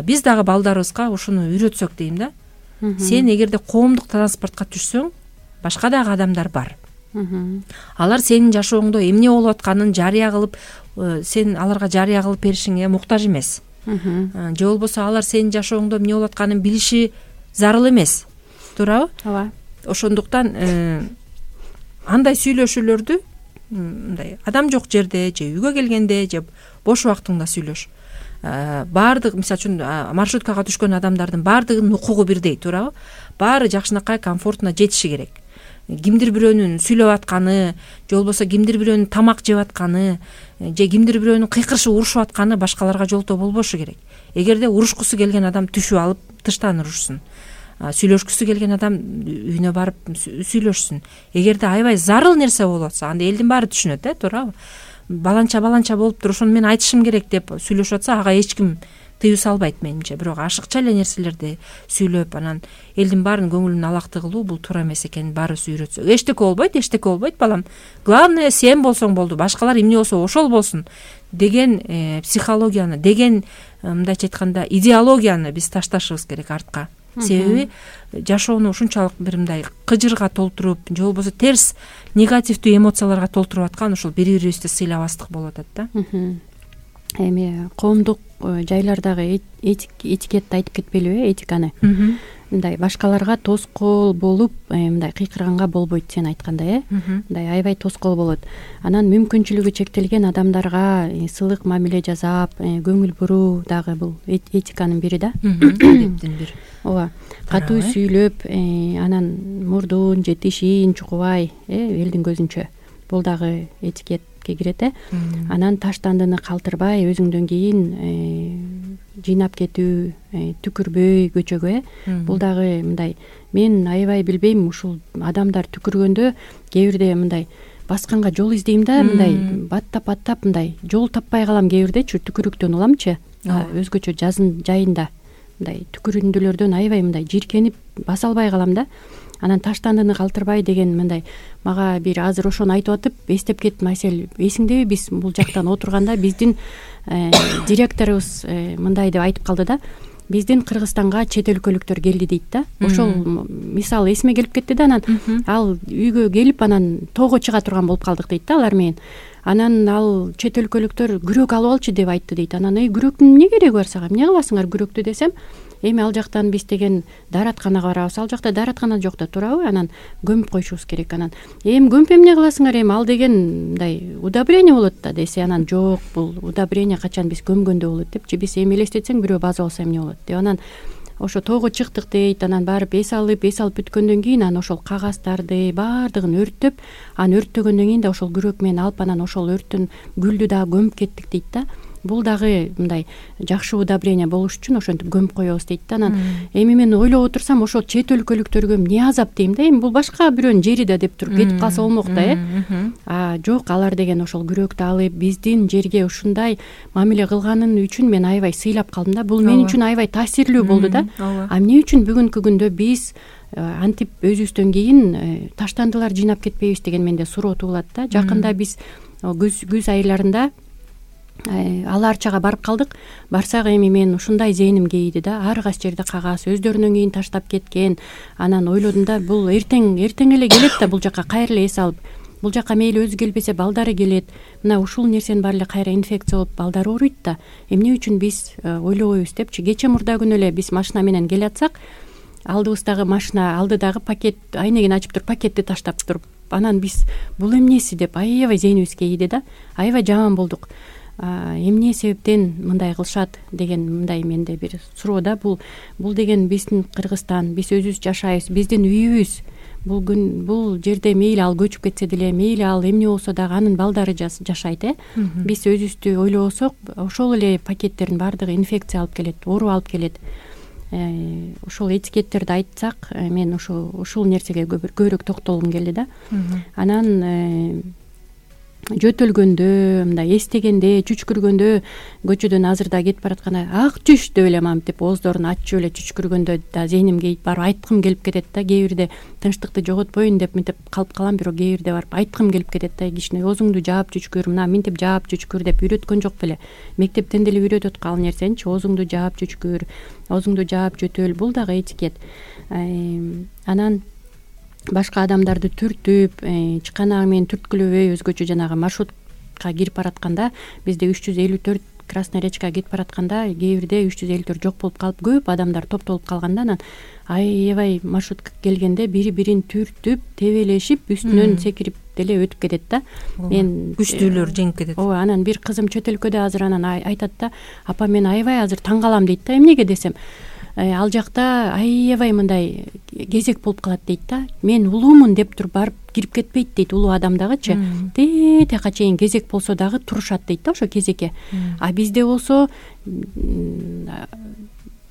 Биз дагы балдарыбызга ушуну үйрөтсөк дейм да. Сен эгерде коомдук транспортко түшсөң, башка дагы адамдар бар. Алар сенин жашооңдо эмне болуп атканын жарыя кылып, сен аларга жарыя кылып беришиңе муктаж эмес. Же болбосо алар сенин жашооңдо эмне болуп атканын билиши зарыл эмес. Туурабы? Ооба. Ошондуктан андай сүйлөшүүлөрдү мындай адам жок жерде же үйгө келгенде же бош убактыңда сүйлөш. Баардык, мисалы үчүн маршруткага түшкөн адамдардын баардыгынын укугу бирдей, туурабы? Баары жакшынакай комфортуна жетиши керек. Кимдир бирөөнүн сүйлөп атканы, же болбосо кимдир бирөөнүн тамак жеп атканы, же кимдир бирөөнүн кыйкырышып урушуп атканы башкаларга жолтоо болбошу керек. Эгерде урушкусу келген адам түшүп алып тыштан урушсун. Сүйлөшкүсү келген адам үйүнө барып сүйлөшсүн. Эгерде аябай зарыл нерсе болуп атса, анда элдин баары түшүнөт, э, туурабы? Баланча баланча болуптур, ошону мен айтышым керек деп сүйлөшүп атса, ага эч ким тыюу салбайт менимче. Бирок ашыкча эле нерселерди сүйлөп, анан элдин баарынын көңүлүн алакты кылуу бул туура эмес экенин баарыбыз үйрөтсөк. Эчтеке болбойт, эчтеке болбойт балам. Главное сен болсоң болду, башкалар эмне болсо ошол болсун деген психологияны, деген мындайча айтканда идеологияны биз ташташыбыз керек артка. Себеби жашоону ушунчалык бир мындай кыжырга толтуруп, же болбосо терс негативдүү эмоцияларга толтуруп аткан ушул бири-бирибизди сыйлабастык болуп атат да. Эми коомдук жайлардагы этикетти айтып кетпелиби, этиканы? Мындай башкаларга тоскоол болуп, мындай кыйкырганга болбойт, сен айткандай, э? Мындай аябай тоскоол болот. Анан мүмкүнчүлүгү чектелген адамдарга сылык мамиле жасап, көңүл буруу дагы бул этиканын бири да. Адептин бири. Ооба. Катуу сүйлөп, анан мурдун же тишин чукубай, элдин көзүнчө. Бул дагы этикетке кирет, э? Анан таштандыны калтырбай, өзүңдөн кийин жыйнап кетүү, түкүрбөй көчөгө, э? Бул дагы мындай, мен аябай билбейм, ушул адамдар түкүргөндө кээ бирде мындай басканга жол издейм да, мындай баттап-баттап мындай жол таппай калам кээ бирдечи, түкүрүктөн уламчы, өзгөчө жазын жайында мындай түкүрүндүлөрдөн аябай мындай жиркенип баса албай калам да. Анан таштандыны калтырбай деген мындай мага бир азыр ошону айтып атып эстеп кеттим. Айсел, эсиңдеби, биз бул жактан отурганда биздин директорубуз мындай деп айтып калды да. Биздин Кыргызстанга чет өлкөлүктөр келди дейт да. Ошол мисал эсиме келип кетти да. Анан ал үйгө келип анан тоого чыга турган болуп калдык дейт да алар менен. Анан ал чет өлкөлүктөр күрөк алып алчы деп айтты дейт. Анан эй, күрөктүн эмне кереги бар сага? Эмне кыласыңар күрөктү десем, эми ал жактан биз деген дааратканага барабыз. Ал жакта даараткана жок да, туурабы? Анан көмүп коюшубуз керек. Анан эми көмүп эмне кыласыңар? Эми ал деген мындай удобрение болот да десе, анан жок, бул удобрение качан биз көмгөндө болот депчи. Биз эми элестетсең бирөө база болсо эмне болот деп. Анан ошо тоого чыктык дейт. Анан барып эс алып, эс алып бүткөндөн кийин анан ошол кагаздарды баардыгын өрттөп, анан өрттөгөндөн кийин да ошол күрөк менен алып анан ошол өрттүн гүлдү дагы көмүп кеттик дейт да. Бул дагы мындай жакшы удобрение болуш үчүн ошентип көмүп коебуз дейт да. Анан эми мен ойлоп отурсам, ошол чет өлкөлүктөргө эмне азап дейм да. Эми бул башка бирөөнүн жери да деп туруп кетип калса болмок да, э? А жок, алар деген ошол күрөктү алып биздин жерге ушундай мамиле кылганын үчүн мен аябай сыйлап калдым да. Бул мен үчүн аябай таасирлүү болду да. А эмне үчүн бүгүнкү күндө биз антип өзүбүздөн кийин таштандылар жыйнап кетпейбиз деген менде суроо туулат да. Жакында биз күз күз айларында Алы Арчага барып калдык. Барсак эми мен ушундай зээним кейиди да. Ар кайсы жерде кагаз өздөрүнөн кийин таштап кеткен. Анан ойлодум да, бул эртең эртең эле келет да бул жака кайра эле эс алып. Бул жака мейли өзү келбесе балдары келет. Мына ушул нерсенин баары эле кайра инфекция болуп балдары ооруйт да. Эмне үчүн биз ойлобойбуз депчи. Кече мурда күнү эле биз машина менен келатсак, алдыбыздагы машина алдыдагы пакет айнегин ачып туруп пакетти таштап туруп, анан биз бул эмнеси деп аябай зээнибиз кейиди да. Аябай жаман болдук. Эмне себептен мындай кылышат деген мындай менде бир суроо да. Бул бул деген биздин Кыргызстан, биз өзүбүз жашайбыз, биздин үйүбүз. Бул күн бул жерде мейли ал көчүп кетсе деле, мейли ал эмне болсо дагы анын балдары жашайт, э? Биз өзүбүздү ойлобосок, ошол эле пакеттердин баардыгы инфекция алып келет, оору алып келет. Ошол этикеттерди айтсак, мен ошол ушул нерсеге көбүрөөк токтолгум келди да. Анан жөтөлгөндө, мындай эстегенде, чүчкүргөндө, көчөдөн азырда кетип баратканда ак чүч деп эле мамтип ооздорун ачып эле чүчкүргөндө да зээнимге барып айткым келип кетет да. Кээ бирде тынчтыкты жоготпоюн деп мынтип калып калам, бирок кээ бирде барып айткым келип кетет да. Кичине оозуңду жаап чүчкүр, мына мынтип жаап чүчкүр деп үйрөткөн жок беле. Мектептен деле үйрөтөт ал нерсеничи, оозуңду жаап чүчкүр, оозуңду жаап жөтөл, бул дагы этикет. Анан башка адамдарды түртүп, чыканагы менен түрткүлөбөй, өзгөчө жанагы маршрутка кирип баратканда, бизде үч жүз элүү төрт Красная речкага кетип баратканда кээ бирде үч жүз элүү төрт жок болуп калып, көп адамдар топтолуп калганда, анан аябай маршрутка келгенде бири бирин түртүп, тебелешип, үстүнөн секирип деле өтүп кетет да. Мен күчтүүлөр жеңип кетет. Ооба, анан бир кызым чөт өлкөдө азыр анан айтат да, апа мен аябай азыр таң калам дейт да. Эмнеге десем, ал жакта аябай мындай кезек болуп калат дейт да. Мен улуумун деп туруп барып кирип кетпейт дейт, улуу адам дагычы. Тетияка чейин кезек болсо дагы турушат дейт да ошо кезекке. А бизде болсо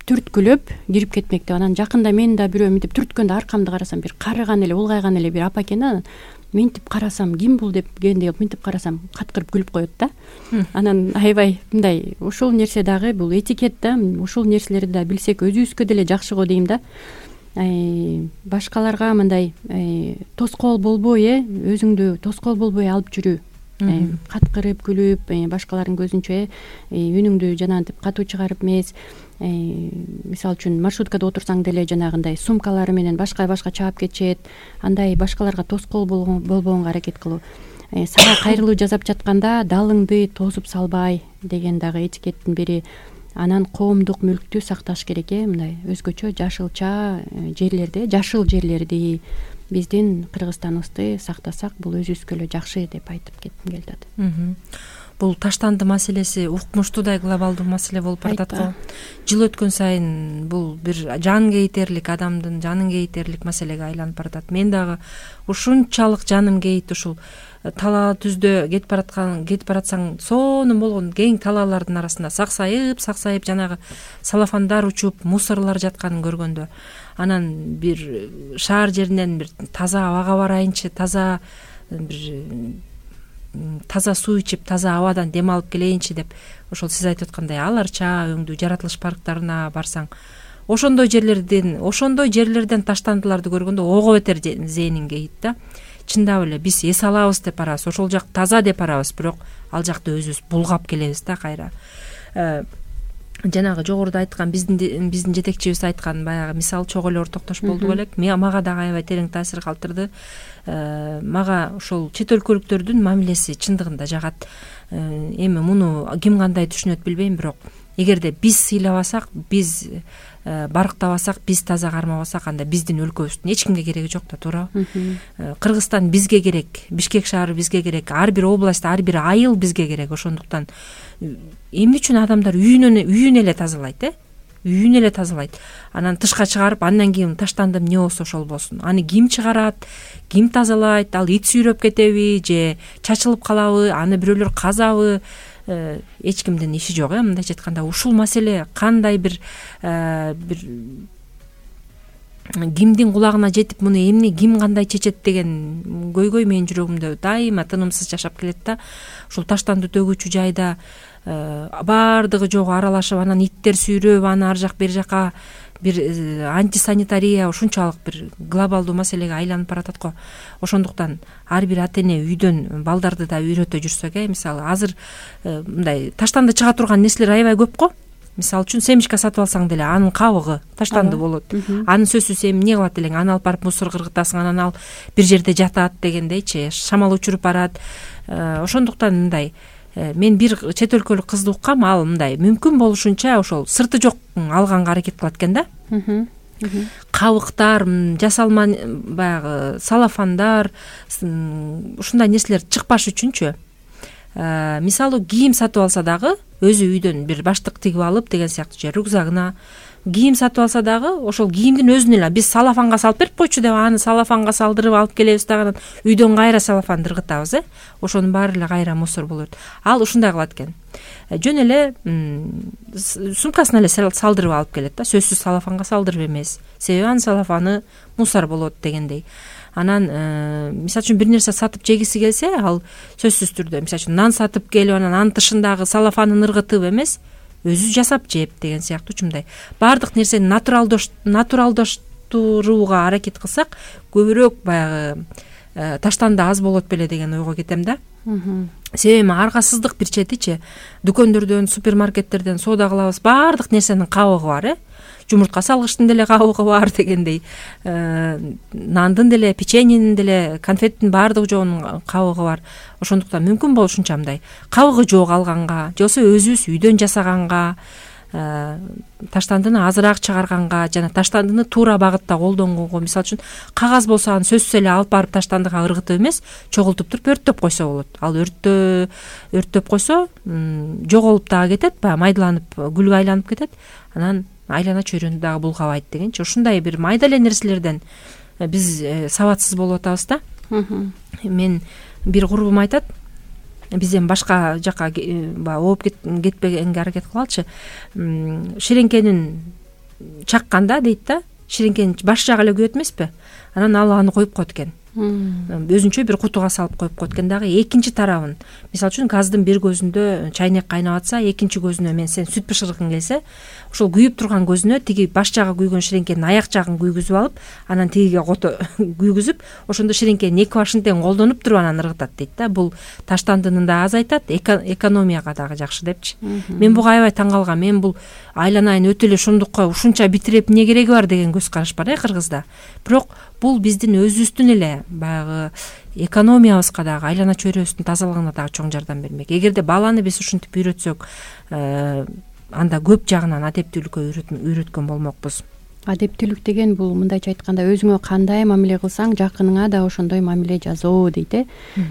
түрткүлөп кирип кетмек деп. Анан жакында мен да бирөө мынтип түрткөндө аркамды карасам, бир карыган эле, улгайган эле бир апа экен да. Мынтип карасам, ким бул деп кенде мынтип карасам, каткырып күлүп коет да. Анан аябай мындай ушул нерсе дагы бул этикет да. Ушул нерселерди да билсек өзүбүзгө деле жакшы го дейм да. Башкаларга мындай тоскоол болбой, э өзүңдү тоскоол болбой алып жүрүү. Каткырып күлүп, башкалардын көзүнчө үнүңдү жанагынтип катуу чыгарып эмес. Мисалы үчүн маршруткада отурсаң деле жанагындай сумкалары менен башка башка чаап кетишет. Андай башкаларга тоскоол болбогонго аракет кылуу. Сага кайрылуу жасап жатканда далыңды тосуп салбай деген дагы этикеттин бири. Анан коомдук мүлктү сакташ керек, э мындай өзгөчө жашылча жерлерде, жашыл жерлерди, биздин Кыргызстаныбызды сактасак, бул өзүбүзгө эле жакшы деп айтып кетким келди атат. Бул таштанды маселеси укмуштуудай глобалдуу маселе болуп баратат го. Жыл өткөн сайын бул бир жан кейтерлик, адамдын жанын кейтерлик маселеге айланып баратат. Мен дагы ушунчалык жаным кейит ушул талаа түздө кетип бараткан, кетип баратсаң, сонун болгон кең талаалардын арасында саксайып, саксайып жанагы салафандар учуп, мусорлор жатканын көргөндө, анан бир шаар жеринен бир таза абага барайынчы, таза бир таза суу ичип, таза абадан дем алып келейинчи деп, ошол сиз айтып аткандай аларча өңдүү жаратылыш парктарына барсаң, ошондой жерлерден, ошондой жерлерден таштандыларды көргөндө ого бетер зээним кейит да. Чындап эле биз эс алабыз деп барабыз, ошол жак таза деп барабыз, бирок ал жакты өзүбүз булгап келебиз да кайра. Жанагы жогоруда айткан биздин биздин жетекчибиз айткан баягы мисал чогуу эле ортоктош болду элек. Мага дагы аябай терең таасир калтырды. Мага ошол чет өлкөлүктөрдүн мамилеси чындыгында жагат. Эми муну ким кандай түшүнөт билбейм, бирок эгерде биз сыйлабасак, биз барктабасак, биз таза кармабасак, анда биздин өлкөбүздүн эч кимге кереги жок да, туурабы? Кыргызстан бизге керек, Бишкек шаары бизге керек, ар бир область, ар бир айыл бизге керек. Ошондуктан эмне үчүн адамдар үйүнөн үйүн эле тазалайт, э? Үйүн эле тазалайт. Анан тышка чыгарып, андан кийин таштандым эмне болсо ошол болсун. Аны ким чыгарат, ким тазалайт, ал ит сүйрөп кетеби же чачылып калабы, аны бирөөлөр казабы, эч кимдин иши жок, э мындайча айтканда. Ушул маселе кандай бир бир кимдин кулагына жетип, муну эмне ким кандай чечет деген көйгөй менин жүрөгүмдө дайыма тынымсыз жашап келет да. Ушул таштанды төгүүчү жайда баардыгы жогу аралашып, анан иттер сүйрөп, аны ар жак бери жака бир антисанитария ушунчалык бир глобалдуу маселеге айланып баратат го. Ошондуктан ар бир ата эне үйдөн балдарды да үйрөтө жүрсөк, э мисалы азыр мындай таштанды чыга турган нерселер аябай көп го. Мисалы үчүн семечка сатып алсаң деле анын кабыгы таштанды болот. Аны сөзсүз эми эмне кылат элең? Аны алып барып мусорго кыргытасың, анан ал бир жерде жатат дегендейчи, шамал учуруп барат. Ошондуктан мындай мен бир чет өлкөлүк кызды уккам, ал мындай мүмкүн болушунча ошол сырты жок алганга аракет кылат экен да. Кабыктар, жасалма баягы салафандар, ушундай нерселер чыкпаш үчүнчү. Мисалы кийим сатып алса дагы өзү үйдөн бир баштык тигип алып деген сыяктуу же рюкзагына кийим сатып алса дагы ошол кийимдин өзүн эле биз салафанга салып берип койчу деп аны салафанга салдырып алып келебиз дагы, үйдөн кайра салафанды ыргытабыз, э ошонун баары эле кайра мусор болот. Ал ушундай кылат экен. Жөн эле сумкасына эле салдырып алып келет да, сөзсүз салафанга салдырып эмес. Себеби анын салафаны мусор болот дегендей. анан мисалы үчүн бир нерсе сатып жегиси келсе, ал сөзсүз түрдө мисалы үчүн нан сатып келип анан анын тышындагы салафанын ыргытып эмес, өзү жасап жеп деген сыяктуу ушундай баардык нерсени натуралдаштырууга аракет кылсак, көбүрөөк баягы таштанды аз болот беле деген ойго кетем да. Себеби аргасыздык бир четичи, дүкөндөрдөн, супермаркеттерден соода кылабыз, баардык нерсенин кабыгы бар, э жумуртка салгычтын деле кабыгы бар дегендей, нандын деле, печеньенин деле, конфеттин баардыгы жоонун кабыгы бар. Ошондуктан мүмкүн болушунча мындай кабыгы жок алганга, же болбосо өзүбүз үйдөн жасаганга, таштандыны азыраак чыгарганга жана таштандыны туура багытта колдонгонго, мисалы үчүн кагаз болсо аны сөзсүз эле алып барып таштандыга ыргытып эмес, чогултуп туруп өрттөп койсо болот. Ал өрттө өрттөп койсо жоголуп дагы кетет, баягы майдаланып, күлгө айланып кетет, анан айлана чөйрөнү дагы булгабайт дегенчи. Ушундай бир майда эле нерселерден биз сабатсыз болуп атабыз да. Мен бир курбум айтат, биз эми башка жака баягы ооп кетпегенге аракет кылалычы. Ширеңкенин чакканда дейт да, ширеңкенин баш жагы эле күйөт эмеспи? Анан ал аны коюп коет экен. Өзүнчө бир кутуга салып коюп коет экен. Дагы экинчи тарабын, мисалы үчүн газдын бир көзүндө чайнек кайнап атса, экинчи көзүнө мен сен сүт бышыргың келсе, ошол күйүп турган көзүнө тиги баш жагы күйгөн ширеңкенин аяк жагын күйгүзүп алып, анан тигиге кото күйгүзүп, ошондо ширеңкенин эки башын тең колдонуп туруп анан ыргытат дейт да. Бул таштандынын да азайтат, экономияга дагы жакшы депчи. Мен буга аябай таң калгам. Мен бул айланайын өтө эле шундукка ушунча битирип эмне кереги бар деген көз караш бар, э, Кыргызда. Бирок бул биздин өзүбүздүн эле баягы экономиябызга дагы, айлана чөйрөбүздүн тазалыгына дагы чоң жардам бермек. Эгерде баланы биз ушинтип үйрөтсөк, анда көп жагынан адептүүлүккө үйрөткөн болмокпуз. Адептүүлүк деген бул мындайча айтканда өзүңө кандай мамиле кылсаң, жакыныңа да ошондой мамиле жасоо дейт, э.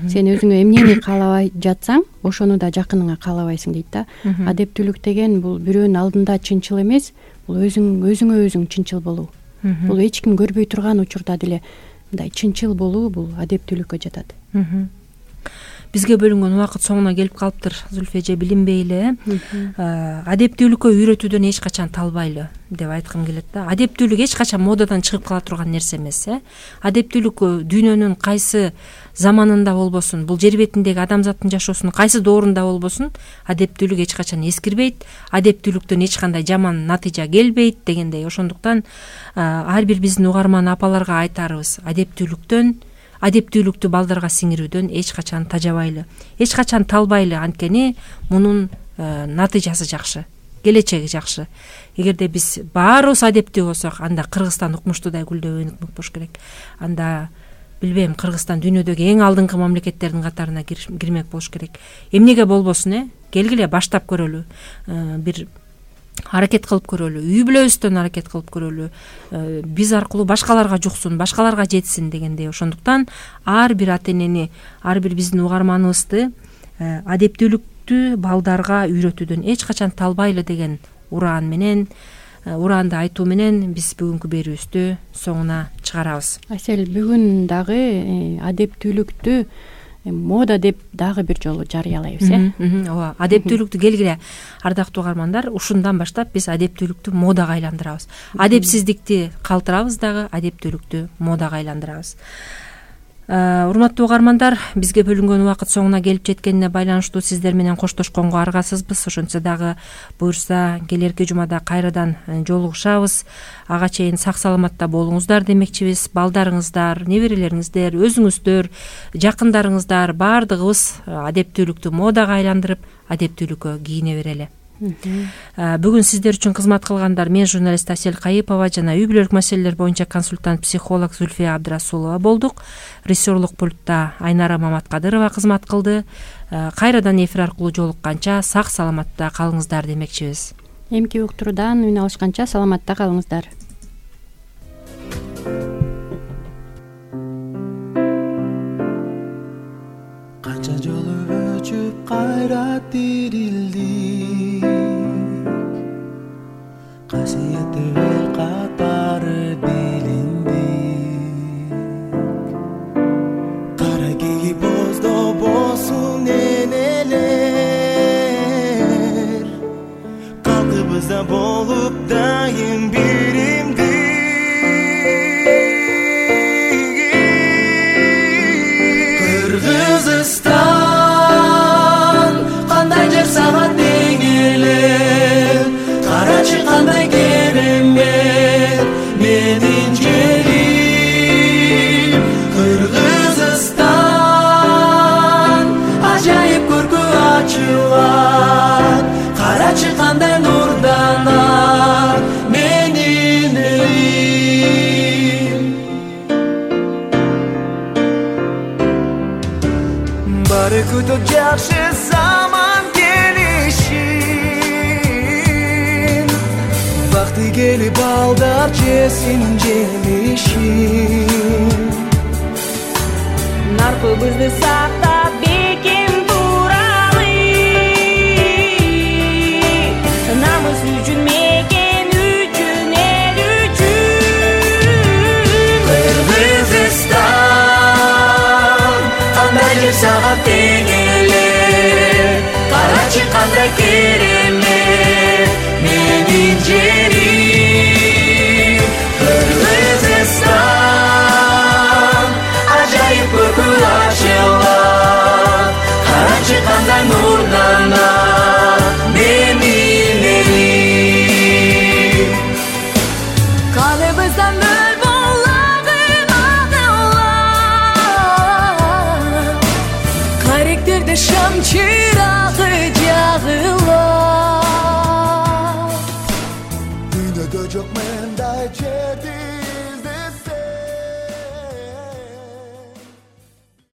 Сен өзүңө эмнени каалабай жатсаң, ошону да жакыныңа каалабайсың дейт да. Адептүүлүк деген бул бирөөнүн алдында чынчыл эмес, бул өзүң өзүңө өзүң чынчыл болуу. Бул эч ким көрбөй турган учурда деле мындай чынчыл болуу бул адептүүлүккө жатат. Бизге бөлүнгөн убакыт соңуна келип калыптыр, Зүлфи эже, билинбей эле. Адептүүлүккө үйрөтүүдөн эч качан талбайлы деп айткым келет да. Адептүүлүк эч качан модадан чыгып кала турган нерсе эмес, э. Адептүүлүк дүйнөнүн кайсы заманында болбосун, бул жер бетиндеги адамзаттын жашоосунун кайсы доорунда болбосун, адептүүлүк эч качан эскирбейт, адептүүлүктөн эч кандай жаман натыйжа келбейт дегендей. Ошондуктан ар бир биздин угарман апаларга айтарыбыз, адептүүлүктөн адептүүлүктү балдарга сиңирүүдөн эч качан тажабайлы, эч качан талбайлы, анткени мунун натыйжасы жакшы, келечеги жакшы. Эгерде биз баарыбыз адептүү болсок, анда Кыргызстан укмуштуудай гүлдөп өнүкмөк болуш керек. Анда билбейм, Кыргызстан дүйнөдөгү эң алдыңкы мамлекеттердин катарына кирмек болуш керек. Эмнеге болбосун, э? Келгиле баштап көрөлү. Бир аракет кылып көрөлү, үй бүлөбүздөн аракет кылып көрөлү, биз аркылуу башкаларга жуксун, башкаларга жетсин дегендей. Ошондуктан ар бир ата энени, ар бир биздин угарманыбызды адептүүлүктү балдарга үйрөтүүдөн эч качан талбайлы деген ураан менен, ураанды айтуу менен биз бүгүнкү берүүбүздү соңуна чыгарабыз. Айсел, бүгүн дагы адептүүлүктү мода деп дагы бир жолу жарыялайбыз, э? Ооба, адептүүлүктү келгиле ардактуу угармандар, ушундан баштап биз адептүүлүктү модага айландырабыз. Адепсиздикти калтырабыз дагы, адептүүлүктү модага айландырабыз. Урматтуу угармандар, бизге бөлүнгөн убакыт соңуна келип жеткенине байланыштуу сиздер менен коштошконго аргасызбыз. Ошентсе дагы буюрса келерки жумада кайрадан жолугушабыз. Ага чейин сак саламатта болуңуздар демекчибиз. Балдарыңыздар, неберелериңиздер, өзүңүздөр, жакындарыңыздар баардыгыбыз адептүүлүктү модага айландырып, адептүүлүккө кийине берели. Бүгүн сиздер үчүн кызмат кылгандар мен журналист Асель Кайыпова жана үй бүлөлүк маселелер боюнча консультант психолог Зүлфия Абдрасулова болдук. Режиссерлук пультта Айнара Маматкадырова кызмат кылды. Кайрадан эфир аркылуу жолукканча сак саламатта калыңыздар демекчибиз. Эмки уктуруудан үн алышканча саламатта калыңыздар. Канча жолу өчүп кайра тирилди, касиетти эл катары билинди. Кара кийип боздобосун энелер, калкыбызда болуп дайым биримдик. келип балдар жесин жемишин. Наркыбызды сактап бекем туралы, намыс үчүн, мекен үчүн, эл үчүн. Кыргызстан кандай жер сага тең эле, карачы кандай керемет менин жерим. Кыргызстан ажайып көркү ачылат, карачы кандай нурданат менин элим. Каныбыздан мөл боллагы агылат, каректерде шам чыр